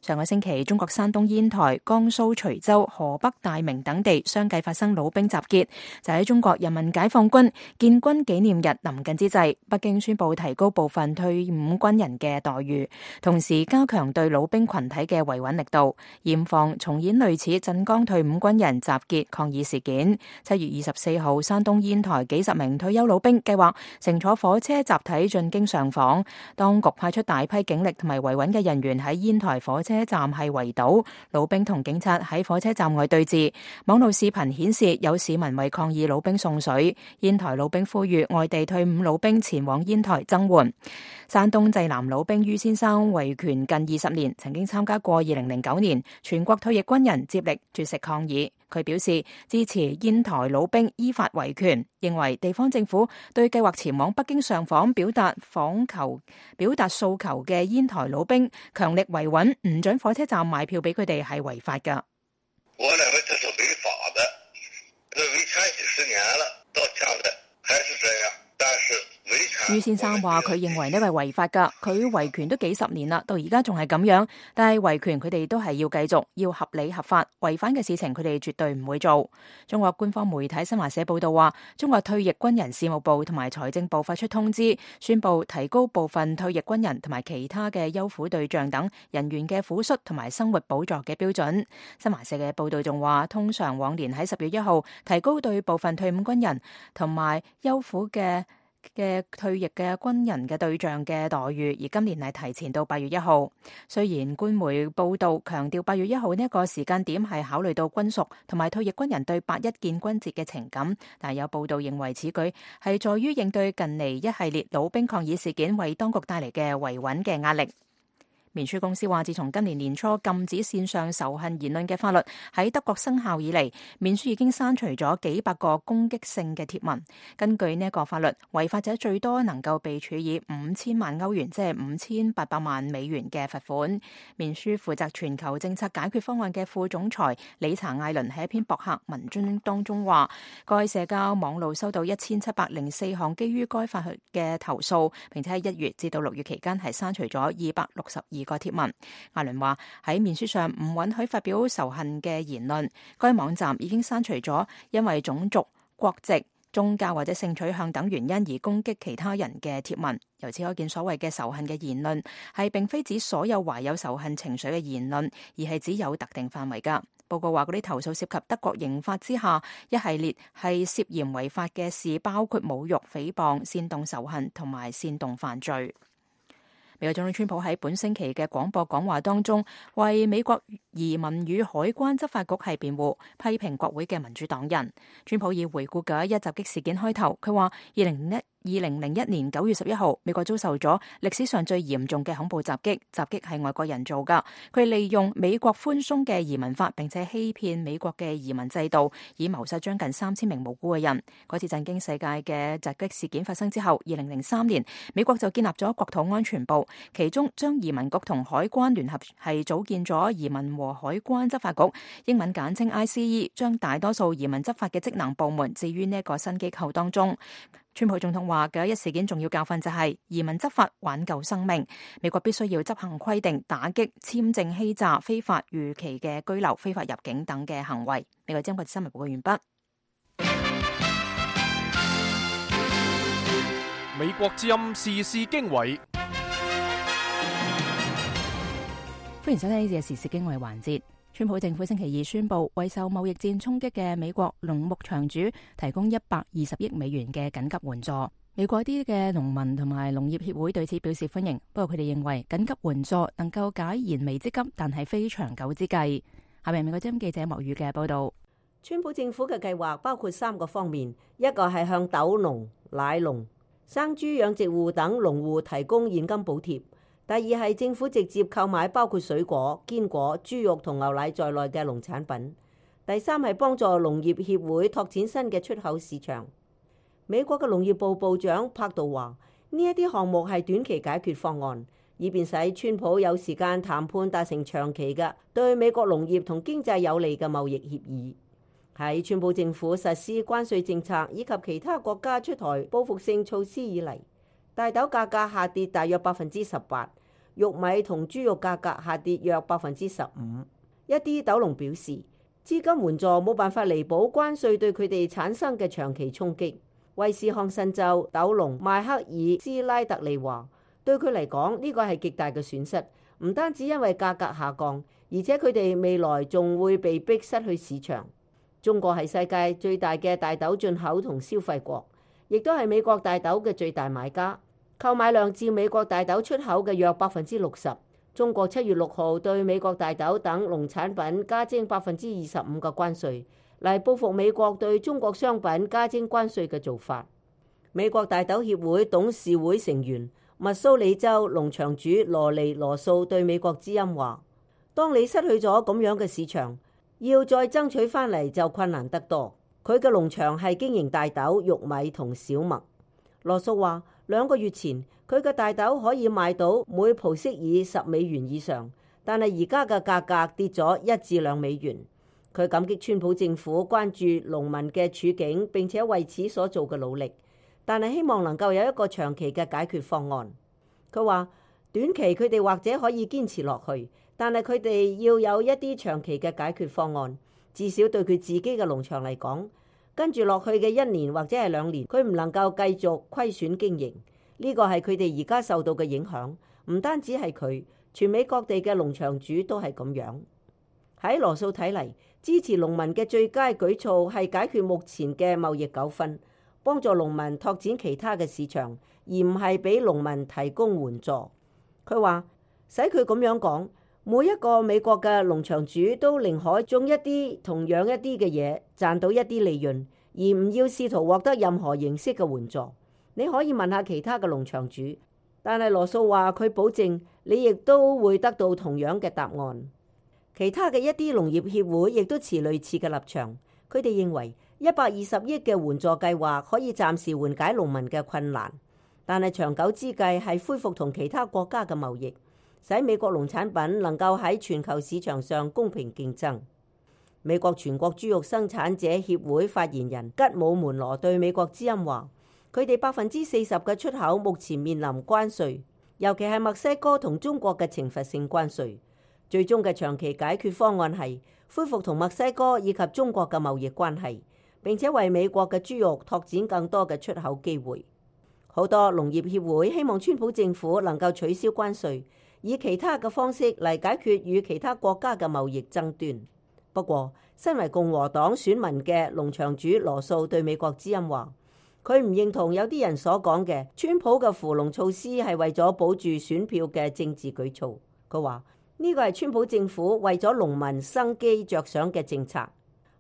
Speaker 2: 上個星期，中國山東煙台、江蘇徐州、河北大名等地相繼發生老兵集結，就喺中國人民解放軍建軍紀念日臨近之際，北京宣布提高部分退伍軍人嘅待遇，同時加強對老兵群體嘅維穩力度，嚴防重演類似鎮江退伍軍人集結抗議事件。七月二十四號，山東煙台幾十名退休老兵計劃乘坐火車集體進京上訪，當局派出大批警力同埋維穩嘅人員喺煙台火車車站係圍堵，老兵同警察喺火車站外對峙。網絡視頻顯示有市民為抗議老兵送水，煙台老兵呼籲外地退伍老兵前往煙台增援。山東濟南老兵于先生維權近二十年，曾經參加過二零零九年全國退役軍人接力絕食抗議。佢表示支持煙台老兵依法維權，認為地方政府對計劃前往北京上訪表達訪求表達訴求嘅煙台老兵強力維穩，唔准火車站賣票俾佢哋係違法㗎。
Speaker 3: 我認為這是違法的，這維權幾十年了，到現在還是這樣，但是
Speaker 2: 于先生話佢認為呢係違法㗎，佢維權都幾十年啦，到而家仲係咁樣，但係維權佢哋都係要繼續，要合理合法，違反嘅事情佢哋絕對唔會做。中國官方媒體新華社報道話，中國退役軍人事務部同埋財政部發出通知，宣布提高部分退役軍人同埋其他嘅優撫對象等人員嘅撫恤同埋生活補助嘅標準。新華社嘅報道仲話，通常往年喺十月一號提高對部分退伍軍人同埋優撫嘅嘅退役嘅軍人嘅對象嘅待遇，而今年係提前到八月一號。雖然官媒報道強調八月一號呢一個時間點係考慮到軍屬同埋退役軍人對八一建軍節嘅情感，但有報道認為此舉係在於應對近嚟一系列老兵抗議事件為當局帶嚟嘅維穩嘅壓力。面書公司話，自從今年年初禁止線上仇恨言論嘅法律喺德國生效以嚟，面書已經刪除咗幾百個攻擊性嘅貼文。根據呢一個法律，違法者最多能夠被處以五千萬歐元，即係五千八百萬美元嘅罰款。面書負責全球政策解決方案嘅副總裁理查艾倫喺一篇博客文章當中話，該社交網路收到一千七百零四項基於該法律嘅投訴，並且喺一月至到六月期間係刪除咗二百六十二個貼文。艾倫話喺面書上唔允許發表仇恨嘅言論，該網站已經刪除咗因為種族、國籍、宗教或者性取向等原因而攻擊其他人嘅貼文。由此可見，所謂嘅仇恨嘅言論係並非指所有懷有仇恨情緒嘅言論，而係只有特定範圍㗎。報告話嗰啲投訴涉及德國刑法之下一系列係涉嫌違法嘅事，包括侮辱、誹謗、煽動仇恨同埋煽動犯罪。美國總統川普喺本星期嘅廣播講話當中，為美國移民與海關執法局係辯護，批評國會嘅民主黨人。川普以回顧九一一襲擊事件開頭，佢話二零一二零零一年九月十一號，美國遭受咗歷史上最嚴重嘅恐怖襲擊，襲擊係外國人做噶。佢利用美國寬鬆嘅移民法，並且欺騙美國嘅移民制度，以謀殺將近三千名無辜嘅人。嗰次震驚世界嘅襲擊事件發生之後，二零零三年，美國就建立咗國土安全部，其中將移民局同海關聯合係組建咗移民和海關執法局，英文簡稱 I C E， 將大多數移民執法嘅職能部門置於呢一個新機構當中。川普總統話嘅一事件重要教訓就係移民執法挽救生命，美國必須要執行規定，打擊簽證欺詐、非法逾期嘅居留、非法入境等嘅行為。美國《中國新聞報告》完畢。
Speaker 1: 美國之音時事經緯，
Speaker 2: 歡迎收聽呢節時事經緯環節。川普政府星期二宣布，為受貿易戰衝擊嘅美國農牧場主提供一百二十億美元嘅緊急援助。美國啲嘅農民同埋農業協會對此表示歡迎，不過佢哋認為緊急援助能夠解燃眉之急，但係非長久之計。下面美國之音記者莫宇嘅報道。
Speaker 4: 川普政府嘅計劃包括三個方面，一個係向豆農、奶農、生豬養殖戶等農戶提供現金補貼。第二係政府直接購買包括水果、堅果、豬肉同牛奶在內嘅農產品。第三係幫助農業協會拓展新嘅出口市場。美國嘅農業部部長柏杜話：呢一啲項目係短期解決方案，以便使川普有時間談判達成長期嘅對美國農業同經濟有利嘅貿易協議。喺川普政府實施關稅政策以及其他國家出台報復性措施以嚟，大豆價格下跌大約百分之十八。玉米同豬肉價格下跌約百分之十五。一啲豆農表示，資金援助冇辦法彌補關稅對佢哋產生嘅長期衝擊。威斯康辛州豆農邁克爾斯拉特利話，對佢嚟講呢個係極大嘅損失，唔單止因為價格下降，而且佢哋未來仲會被逼失去市場。中國係世界最大嘅大豆進口同消費國，亦都係美國大豆嘅最大買家。購買量佔美國大豆出口嘅約百分之六十。中國七月六號對美國大豆等農產品加徵百分之二十五嘅關稅，嚟報復美國對中國商品加徵關稅嘅做法。美國大豆協會董事會成員密蘇里州農場主羅尼羅素對美國之音話：當你失去咗咁樣嘅市場，要再爭取翻嚟就困難得多。佢嘅農場係經營大豆、玉米同小麥。羅素話：兩個月前，佢嘅大豆可以賣到每蒲息以十美元以上，但係而家嘅價格跌咗一至兩美元。佢感激川普政府關注農民嘅處境，並且為此所做嘅努力，但係希望能夠有一個長期嘅解決方案。佢話短期佢哋或者可以堅持落去，但係佢哋要有一啲長期嘅解決方案，至少對佢自己嘅農場嚟講。跟住落去嘅一年或者係兩年，佢唔能夠繼續虧損經營，呢個係佢哋而家受到嘅影響。唔單止係佢，全美各地嘅農場主都係咁樣。喺羅素睇嚟，支持農民嘅最佳舉措係解決目前嘅貿易糾紛，幫助農民拓展其他嘅市場，而唔係俾農民提供援助。佢話使佢咁樣講，每一個美國嘅農場主都寧可種一啲同樣一啲嘅嘢，賺到一啲利潤，而唔要試圖獲得任何形式嘅援助。你可以問下其他嘅農場主，但係羅素話佢保證你亦都會得到同樣嘅答案。其他嘅一啲農業協會亦都持類似嘅立場，佢哋認為一百二十億嘅援助計劃可以暫時緩解農民嘅困難，但係長久之計係恢復同其他國家嘅貿易，使美國農產品能夠喺全球市場上公平競爭。美國全國豬肉生產者協會發言人吉姆門羅對美國之音話：佢哋百分之四十嘅出口目前面臨關稅，尤其係墨西哥同中國嘅懲罰性關稅。最終嘅長期解決方案係恢復同墨西哥以及中國嘅貿易關係，並且為美國嘅豬肉拓展更多嘅出口機會。好多農業協會希望川普政府能夠取消關稅，以其他嘅方式嚟解決與其他國家嘅貿易爭端。不過，身為共和黨選民嘅農場主羅素對美國之音話：佢唔認同有啲人所講嘅川普嘅扶農措施係為咗保住選票嘅政治舉措。佢話呢個係川普政府為咗農民生機着想嘅政策。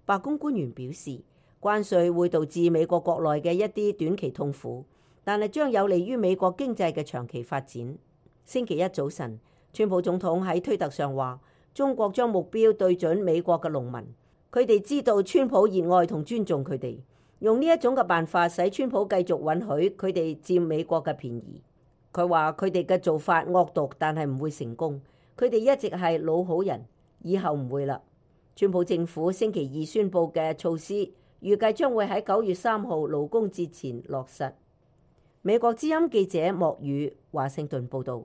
Speaker 4: 白宮官員表示，關稅會導致美國國內嘅一啲短期痛苦，但係將有利於美國經濟嘅長期發展。星期一早晨，川普總統喺推特上話，中國將目標對準美國嘅農民，佢哋知道川普熱愛同尊重佢哋，用呢一種嘅辦法使川普繼續允許佢哋佔美國嘅便宜。佢話佢哋嘅做法惡毒，但係唔會成功。佢哋一直係老好人，以後唔會啦。川普政府星期二宣布嘅措施，預計將會喺九月三號勞工節前落實。美國之音記者莫宇華盛頓報道。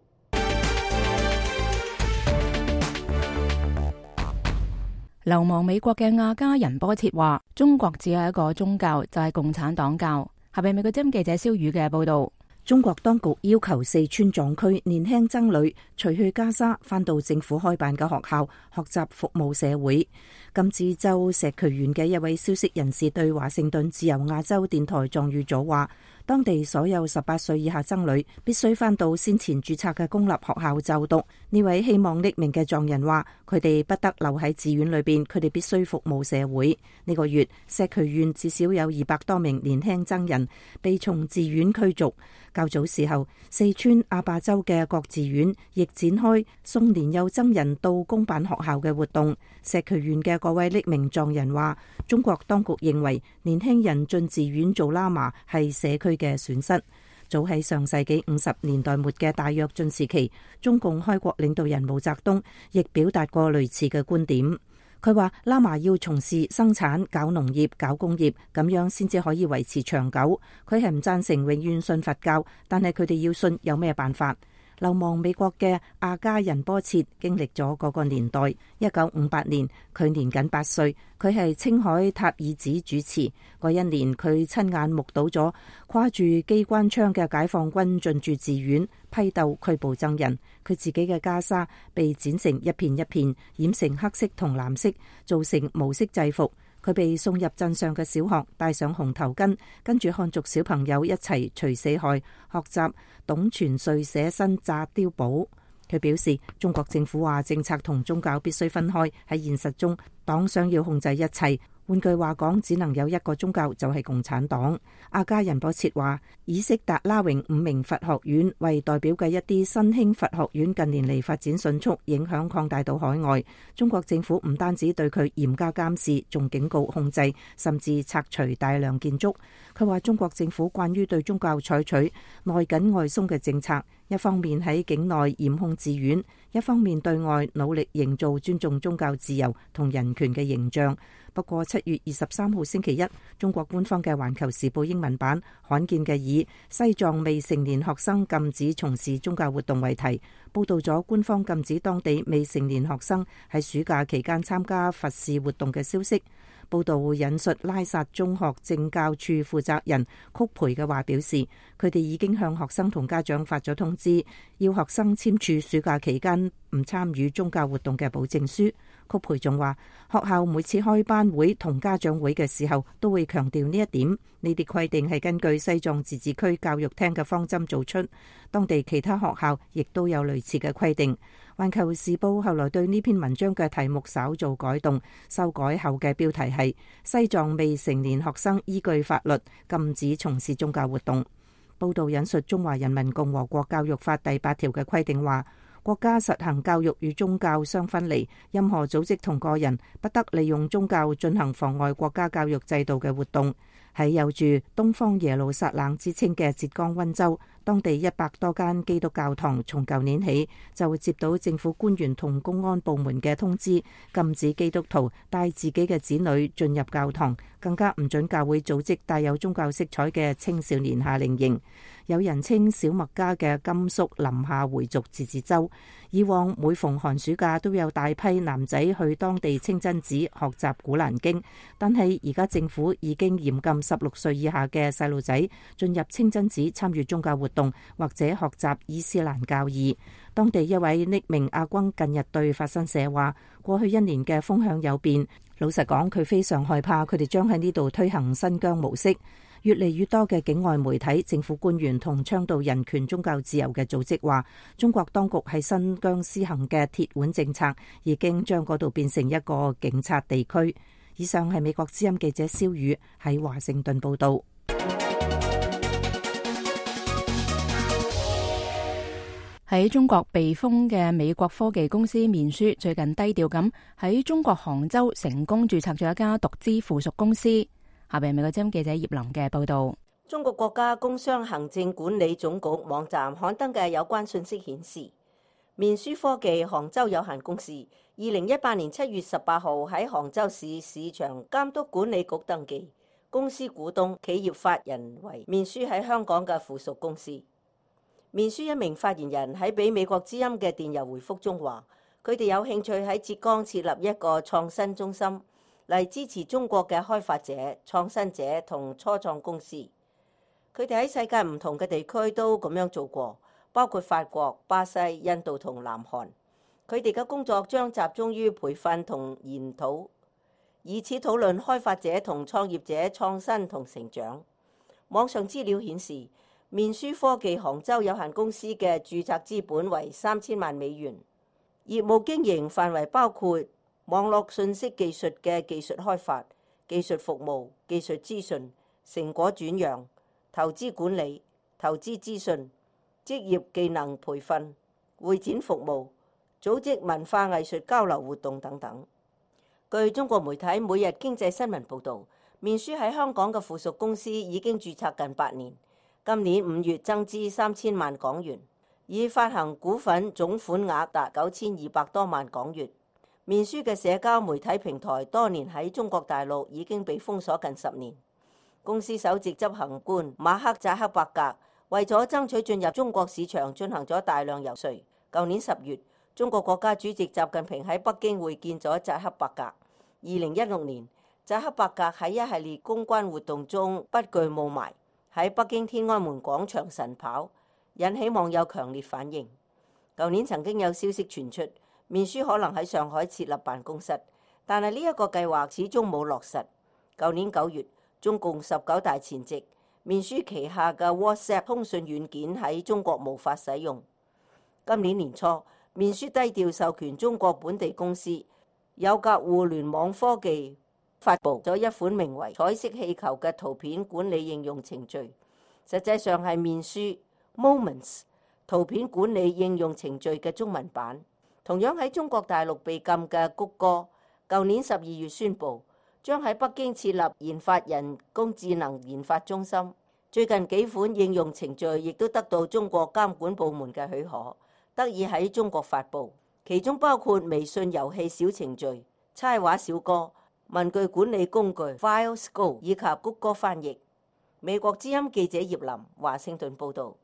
Speaker 2: 流亡美國嘅亞加仁波切話，中國只有一個宗教，就係共產黨教。下邊美國之音記者蕭宇嘅報道。
Speaker 5: 中國當局要求四川藏區年輕僧侶除去袈裟，返到政府開辦嘅學校學習服務社會。甘孜州石渠縣嘅一位消息人士對華盛頓自由亞洲電台藏語組話，當地所有十八歲以下僧侶必須返到先前註冊嘅公立學校就讀。呢位希望匿名嘅藏人話，佢哋不得留喺寺院裏邊，佢哋必須服務社會。呢個月，石渠縣至少有二百多名年輕僧人被從寺院驅逐。較早時候，四川阿壩州嘅各寺院亦展開送年幼僧人到公辦學校嘅活動。石渠縣嘅各位匿名藏人話，中國當局認為年輕人進寺院做喇嘛係社區嘅損失。早喺上世紀五十年代末嘅大躍進時期，中共開國領導人毛澤東亦表達過類似嘅觀點。佢話喇嘛要從事生產、搞農業、搞工業，咁樣先至可以維持長久。佢係唔贊成永遠信佛教，但係佢哋要信有咩辦法？流亡美國嘅亞加仁波切經歷咗嗰個年代。一九五八年，佢年僅八歲，佢係青海塔爾寺主持。嗰一年，佢親眼目睹咗跨住機關槍嘅解放軍進駐寺院，批鬥拘捕僧人。佢自己嘅袈裟被剪成一片一片，染成黑色同藍色，做成毛色制服。佢被送入鎮上嘅小學，戴上紅頭巾，跟住漢族小朋友一齊除四害，學習董存瑞寫新炸碉堡。佢表示，中國政府話政策同宗教必須分開，喺現實中，黨想要控制一切。換句話講，只能有一個宗教，就係共產黨。阿加仁波切話，以色達拉榮五名佛學院為代表嘅一啲新興佛學院近年嚟發展迅速，影響擴大到海外。中國政府唔單止對佢嚴加監視，仲警告控制，甚至拆除大量建築。佢話中國政府慣於對宗教採取內緊外鬆嘅政策，一方面喺境內嚴控寺院，一方面對外努力營造尊重宗教自由同人權嘅形象。不過七月二十三號星期一，中國官方嘅《環球時報》英文版罕見嘅以西藏未成年學生禁止從事宗教活動為題，報道咗官方禁止當地未成年學生喺暑假期間參加佛事活動嘅消息。報道引述拉薩中學政教處負責人曲培嘅話表示，佢哋已經向學生同家長發咗通知，要學生簽署暑假期間唔參與宗教活動嘅保證書。曲培仲話，學校每次開班會同家長會嘅時候都會強調呢一點。呢啲規定係根據西藏自治區教育廳嘅方針做出，當地其他學校亦都有類似嘅規定。環球時報後來對呢篇文章嘅題目稍做改動，修改後嘅標題係西藏未成年學生依據法律禁止從事宗教活動。報道引述中華人民共和國教育法第八條嘅規定話，國家實行教育與宗教相分離，任何組織同個人不得利用宗教進行妨礙國家教育制度嘅活動。喺有住東方耶路撒冷之稱嘅浙江溫州，當地一百多間基督教堂從舊年起就會接到政府官員同公安部門嘅通知，禁止基督徒帶自己嘅子女進入教堂，更加唔准教會組織帶有宗教色彩嘅青少年夏令營。有人稱小麥家嘅甘肅臨夏回族自治州，以往每逢寒暑假都有大批男仔去當地清真寺學習古蘭經，但係而家政府已經嚴禁十六歲以下嘅細路仔進入清真寺參與宗教活動或者學習伊斯蘭教義。當地一位匿名阿軍近日對法新社話，過去一年嘅風向有變，老實講佢非常害怕佢哋將喺呢度推行新疆模式。越嚟越多嘅境外媒體、政府官員同倡導人權、宗教自由嘅組織話，中國當局喺新疆施行嘅鐵腕政策已經將嗰度變成一個警察地區。以上係美國之音記者蕭宇喺華盛頓報道。
Speaker 2: 喺中國被封嘅美國科技公司面書最近低調咁喺中國杭州成功註冊咗一家獨資附屬公司。下邊係美國之音記者葉琳嘅報道。
Speaker 4: 中國國家工商行政管理總局網站刊登嘅有關信息顯示，面書科技杭州有限公司二零一八年七月十八號喺杭州市市場監督管理局登記，公司股東、企業法人為面書喺香港嘅附屬公司。面書一名發言人喺俾美國之音嘅電郵回覆中話，佢哋有興趣喺浙江設立一個創新中心，嚟支持中國嘅開發者、創新者同初創公司。佢哋喺世界唔同嘅地區都咁樣做過，包括法國、巴西、印度同南韓。佢哋嘅工作將集中於培訓同研討，以此討論開發者同創業者創新同成長。網上資料顯示，面書科技杭州有限公司嘅註冊資本為三千萬美元，業務經營範圍包括網絡信息技術嘅技術開發、技術服務、技術資訊、成果轉讓、投資管理、投資資訊、職業技能培訓、會展服務、組織文化藝術交流活動等等。據中國媒體每日經濟新聞報導，面書喺香港嘅附屬公司已經註冊近八年。今年五月增資三千萬港元，已發行股份總款額達九千二百多萬港元。面書嘅社交媒體平台多年喺中國大陸已經被封鎖近十年。公司首席執行官馬克扎克伯格為咗爭取進入中國市場，進行咗大量遊說。舊年十月，中國國家主席習近平喺北京會見咗扎克伯格。二零一六年，扎克伯格喺一系列公關活動中不懼霧霾，喺北京天安門廣場晨跑，引起網友強烈反應。舊年曾經有消息傳出，面書可能喺上海設立辦公室，但係呢一個計劃始終冇落實。舊年九月，中共十九大前夕，面書旗下嘅 WhatsApp 通訊軟件喺中國無法使用。今年年初，面書低調授權中國本地公司有格互聯網科技發布咗一款名為彩色氣球嘅圖片管理應用程序，實際上係面書 Moments 圖片管理應用程序嘅中文版。同樣喺中國大陸被禁嘅谷歌，舊年十二月宣布將喺北京設立研發人工智能研發中心。最近幾款應用程序亦都得到中國監管部門嘅許可，得以喺中國發布，其中包括微信遊戲小程序、猜畫小哥、文具管理工具 FileScope 以及谷歌翻譯。美國之音記者葉琳，華盛頓報道。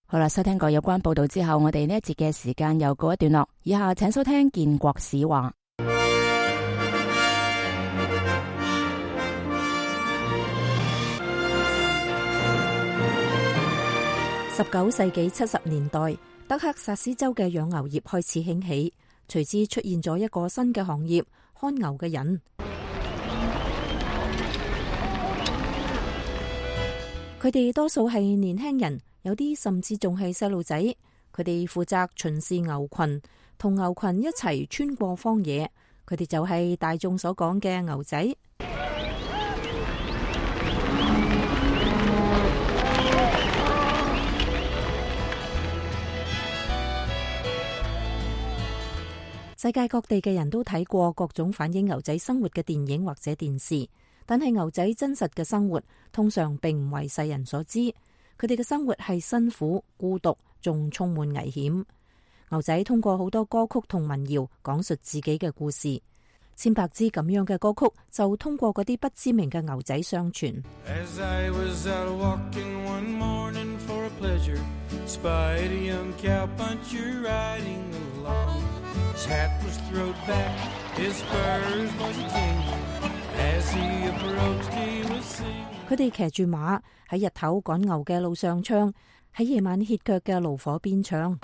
Speaker 2: 好啦，收聽過有關報道之後，我哋呢一節嘅時間又告一段落。以下請收聽建國史話。
Speaker 5: 十九世紀七十年代，德克薩斯州嘅養牛業開始興起，隨之出現咗一個新嘅行業——看牛嘅人。佢哋多數係年輕人，有啲甚至仲係細路仔。佢哋負責巡視牛群，同牛群一齊穿過荒野。佢哋就係大眾所講嘅牛仔。世界各地嘅人都睇過各種反映牛仔生活嘅電影或者電視，但係牛仔真實嘅生活通常並唔為世人所知。佢哋嘅生活係辛苦、孤獨，仲充滿危險。牛仔通過好多歌曲同民謠講述自己嘅故事，千百支咁樣嘅歌曲就通過嗰啲不知名嘅牛仔相傳。As I was out walking one morning for a pleasure, spied a young cowpuncher riding along. His hat was thrown back, his spurs was jingling. As he approached, he was singing. 佢哋騎住馬喺日頭趕牛嘅路上唱，喺夜晚歇腳嘅爐火邊唱。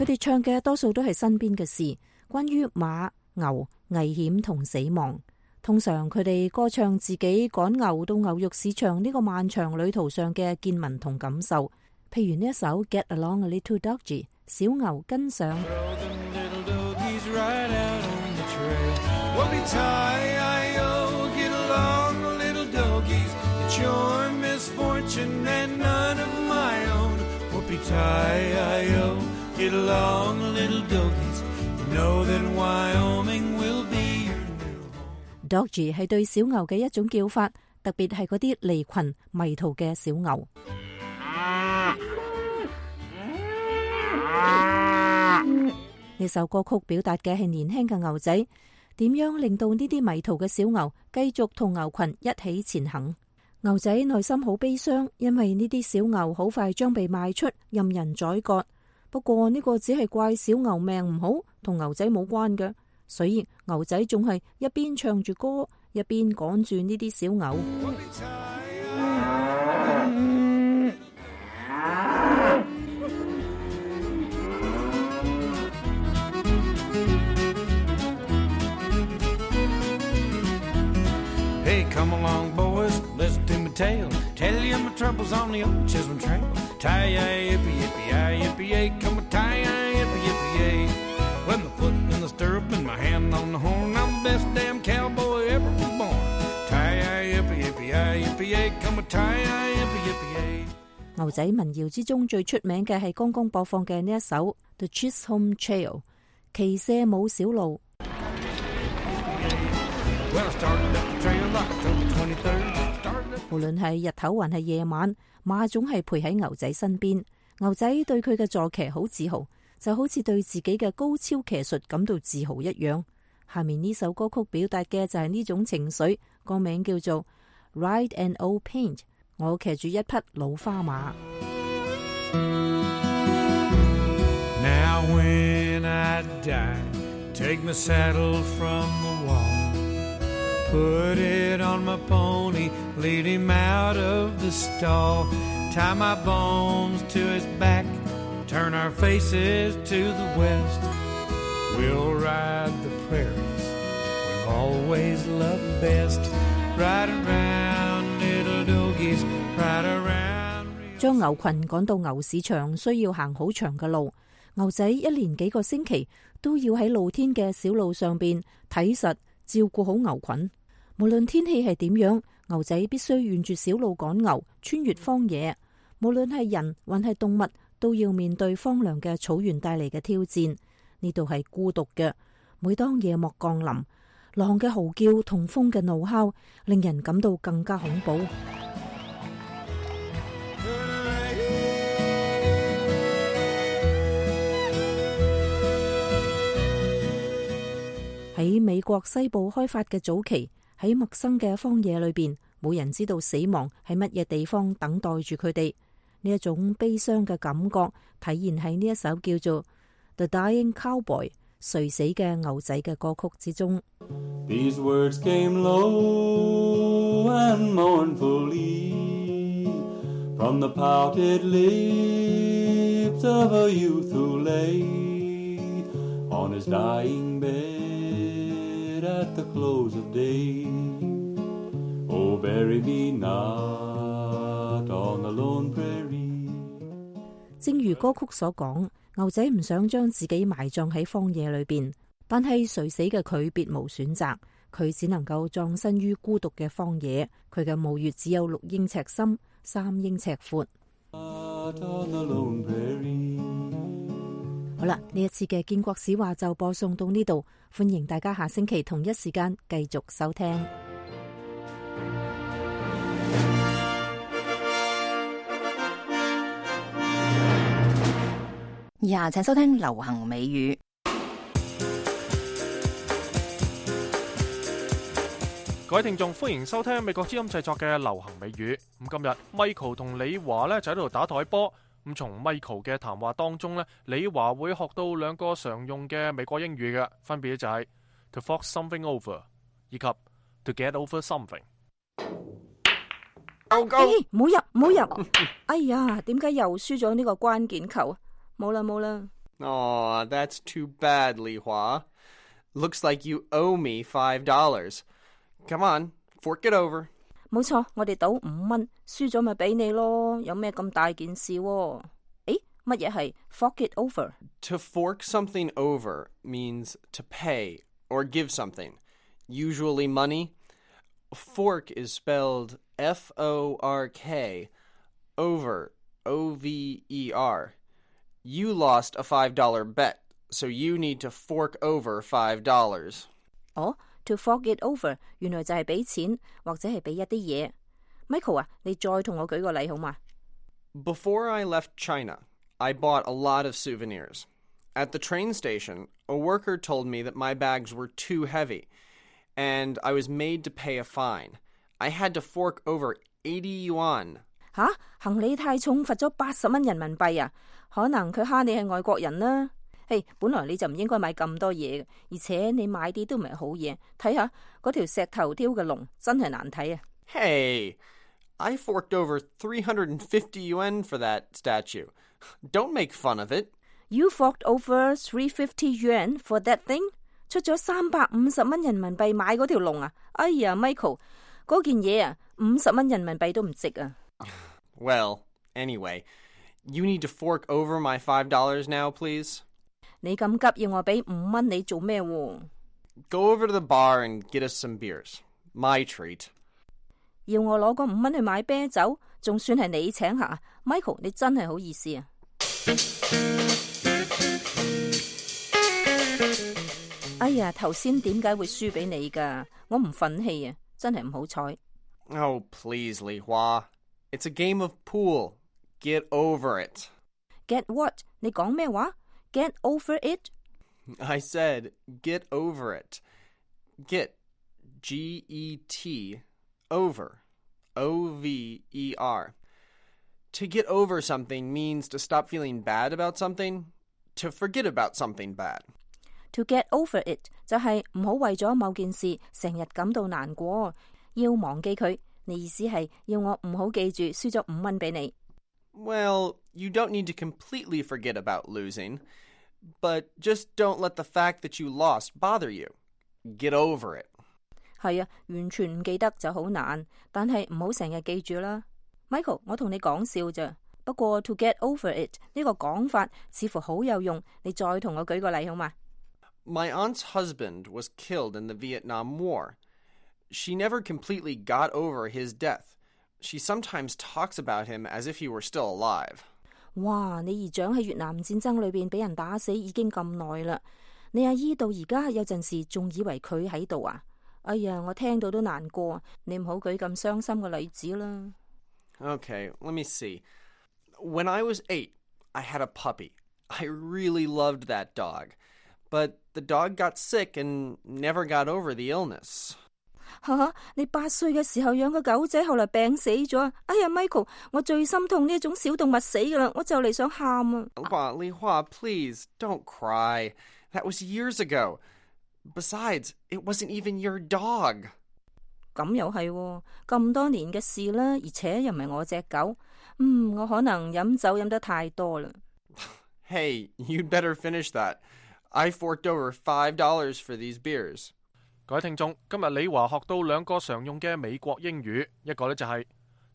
Speaker 5: 哋唱嘅多數都係身邊嘅事，關於馬、牛、危險同死亡。通常佢哋歌唱自己趕牛到牛肉市場呢個漫長旅途上嘅見聞同感受。譬如呢一首 Get Along a Little Doggy， 小牛跟上。Doggy 係對小牛嘅一種叫法，特別係嗰啲離群迷途嘅小牛。呢首歌曲表達嘅係年輕嘅牛仔點樣令到呢啲迷途嘅小牛繼續同牛群一起前行。牛仔內心好悲傷，因為呢啲小牛好快將被賣出，任人宰割。不過呢個只係怪小牛命唔好，同牛仔冇關嘅。所以牛仔仲係一邊唱住歌，一邊趕住呢啲小牛。
Speaker 7: Hey, come along, boys, listen to me tale. Tell you my troubles on the old Chisholm Trail. Tie-yi-yippee, yippee, yippee, yay. Come on, tie-yi-yippee, yippee, yay. With my foot in the stirrup and my hand on the horn, I'm the best damn cowboy ever was born. Tie-yi-yippee, yippee, yippee, yay. Come on, tie-yi-yippee, yippee, yay.
Speaker 5: 牛仔民謠之中最出名嘅係剛剛播放嘅呢一首 The Chisholm Trail， 騎射舞小路。無論係日頭還係夜晚，馬總係陪喺牛仔身邊。牛仔對佢嘅坐騎好自豪，就好似對自己嘅高超騎術感到自豪一樣。下面呢首歌曲表達嘅就係呢種情緒，歌名叫做 Ride an Old Paint， 我騎住一匹老花馬。
Speaker 7: Now when I die, take my saddle from the wall.Put it on my pony, lead him out of the stall. Tie my bones to his back, turn our faces to the west. We'll ride the prairies we've always loved best. Ride around, little doggies, ride around.
Speaker 5: 將牛群趕到牛市場需要行好長嘅路，牛仔一連幾個星期都要喺露天嘅小路上邊睇實照顧好牛群。無論天氣係點樣，牛仔必須沿住小路趕牛，穿越荒野。無論係人還係動物，都要面對荒涼嘅草原帶嚟嘅挑戰。呢度係孤獨嘅。每當夜幕降臨，狼嘅嚎叫同風嘅怒哮，令人感到更加恐怖。喺美國西部開發嘅早期，喺陌生嘅荒野裏邊，冇人知道死亡喺乜嘢地方等待住佢哋。呢一種悲傷嘅感覺體現喺呢一首叫做《The Dying Cowboy》垂死嘅牛仔嘅歌曲之中。
Speaker 8: These words came low and mournfully from the pouted lips of a youth who lay on his dying bed.At the close of day, oh, bury me not on the lone prairie.
Speaker 5: 正如歌曲所講，牛仔唔想將自己埋葬喺荒野裏邊，但係垂死嘅佢別無選擇，佢只能夠葬身於孤獨嘅荒野。佢嘅墓穴只有六英尺深，三英尺闊。好啦，呢一次嘅建國史話就播送到呢度，歡迎大家下星期同一時間繼續收聽。
Speaker 2: 以下請收聽流行美語。
Speaker 1: 各位聽眾，歡迎收聽美國之音製作嘅流行美語。咁今日 Michael 同李華呢就喺度打台波。咁從 Michael 嘅談話當中呢，李華會學到兩個常用嘅美國英語嘅，分別就係 to fuck something over 以及 to get over something。
Speaker 5: 唔好入，唔好入！哎呀，點解又輸咗呢個關鍵球？冇啦冇啦。
Speaker 9: Aw, that's too bad, Li Hua. Looks like you owe me five dollars. Come on, fork it over.
Speaker 5: 冇錯，我哋賭五蚊，輸咗咪俾你咯，有咩咁大件事喎？誒，乜嘢係 fork it over？
Speaker 9: To fork something over means to pay or give something, usually money. Fork is spelled F O R K, over, O V E R. You lost a five dollar bet, so you need to fork over five dollars.
Speaker 5: 哦 ，to fork it over 原來就係俾錢或者係俾一啲嘢。Michael 啊，你再同我舉個例好嘛？
Speaker 9: Before I left China, I bought a lot of souvenirs. At the train station, a worker told me that my bags were too heavy, and I was made to pay a fine. I had to fork over eighty yuan.
Speaker 5: 吓，行李太重，罰咗八十蚊人民幣啊！可能佢蝦你係外國人啦。嘿，本來你就唔應該買咁多嘢嘅，而且你買啲都唔係好嘢。睇下嗰條石頭雕嘅龍真係難睇啊！
Speaker 9: Hey, I forked over three hundred fifty yuan for that statue. Don't make fun of it.
Speaker 5: You forked over three fifty yuan for that thing？ 出咗三百五十蚊人民幣買嗰條龍啊！哎呀 ，Michael， 嗰件嘢啊，五十蚊人民幣都唔值啊！
Speaker 9: Well, anyway, you need to fork over my five dollars now, please.
Speaker 5: 你咁急要我俾五蚊你做咩喎？
Speaker 9: Go over to the bar and get us some beers. My treat.
Speaker 5: 要我攞嗰五蚊去買啤酒，仲算係你請客 ？Michael， 你真係好意思啊！哎呀，頭先點解會輸俾你㗎？我唔忿氣啊，真係唔好彩。
Speaker 9: Oh, please, Li Hua. It's a game of pool. Get over it.
Speaker 5: Get what? 你講咩話 ？Get over it?
Speaker 9: I said, get over it. Get, G E T, over, O V E R. To get over something means to stop feeling bad about something, to forget about something bad.
Speaker 5: To get over it 就係唔好為咗某件事成日感到難過，要忘記佢。你意思係要我唔好記住輸咗五蚊俾你。
Speaker 9: Well, you don't need to completely forget about losing, but just don't let the fact that you lost bother you. Get over it.
Speaker 5: 係啊，完全唔記得就好難，但係唔好成日記住啦。Michael， 我同你講笑咋，不過 to get over it 呢個講法似乎好有用，你再同我舉個例好嘛？
Speaker 9: My aunt's husband was killed in the Vietnam War. She never completely got over his death. She sometimes talks about him as if he were still alive.
Speaker 5: 哇！你姨丈喺越南戰爭裏邊俾人打死已經咁耐啦，你阿姨到而家有陣時仲以為佢喺度啊！哎呀，我聽到都難過，你唔好舉咁傷心嘅例子啦。
Speaker 9: Okay, let me see. When I was eight, I had a puppy. I really loved that dog. But the dog got sick and never got over the illness.
Speaker 5: 哈哈，你八歲嘅時候養個狗仔，後來病死咗。哎呀 ，Michael， 我最心痛呢一種小動物死噶啦，我就嚟想喊啊！
Speaker 9: Li Hua, Li Hua, please, don't cry. That was years ago. Besides, it wasn't even your dog.
Speaker 5: 咁又係喎，咁多年嘅事啦，而且又唔係我隻狗。嗯，我可能飲酒飲得太多啦。
Speaker 9: Hey, you'd better finish that. I forked over five dollars for these beers.
Speaker 1: 各位聽眾，今日李華學到兩個常用嘅美國英語，一個呢就係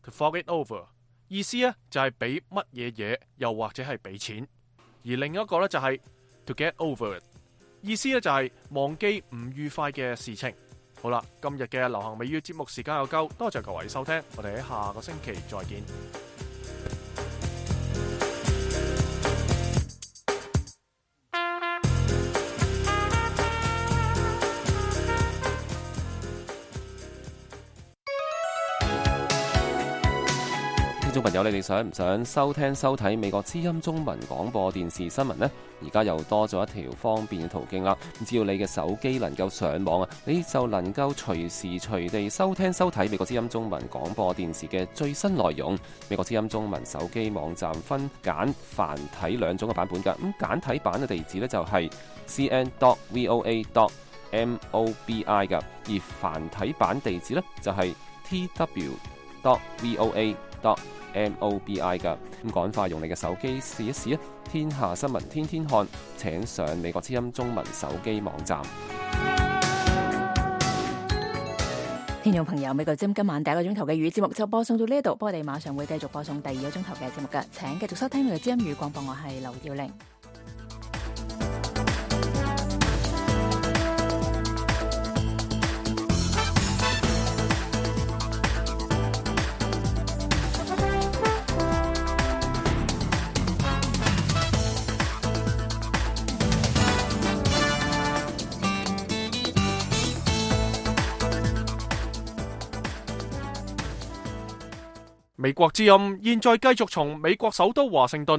Speaker 1: to fork it over， 意思呢就係俾乜嘢嘢，又或者係俾錢；而另一個呢就係 to get over it， 意思呢就係忘記唔愉快嘅事情。好啦，今日嘅流行美語節目時間又夠，多謝各位收聽，我哋喺下個星期再見。
Speaker 6: 聽眾朋友，你哋想唔想收聽收睇美國之音中文廣播電視新聞呢？而家又多咗一條方便嘅途徑啦！只要你嘅手機能夠上網啊，你就能夠隨時隨地收聽收睇美國之音中文廣播電視嘅最新內容。美國之音中文手機網站分簡繁體兩種嘅版本㗎。咁簡體版嘅地址呢，就係 c n dot v o a dot m o b i 㗎，而繁體版地址呢，就係 t w dot v o a dot M O B I 噶。咁趕快用你嘅手機試一試啊！天下新聞天天看，請上美國之音中文手機網站。
Speaker 2: 聽眾朋友，美國之音今晚第一個鐘頭嘅粵語節目就播送到呢度，不過我哋馬上會繼續播送第二個鐘頭嘅節目嘅，請繼續收聽美國之音粵語廣播，我係劉耀玲。
Speaker 1: 美國之音現在繼續從美國首都華盛頓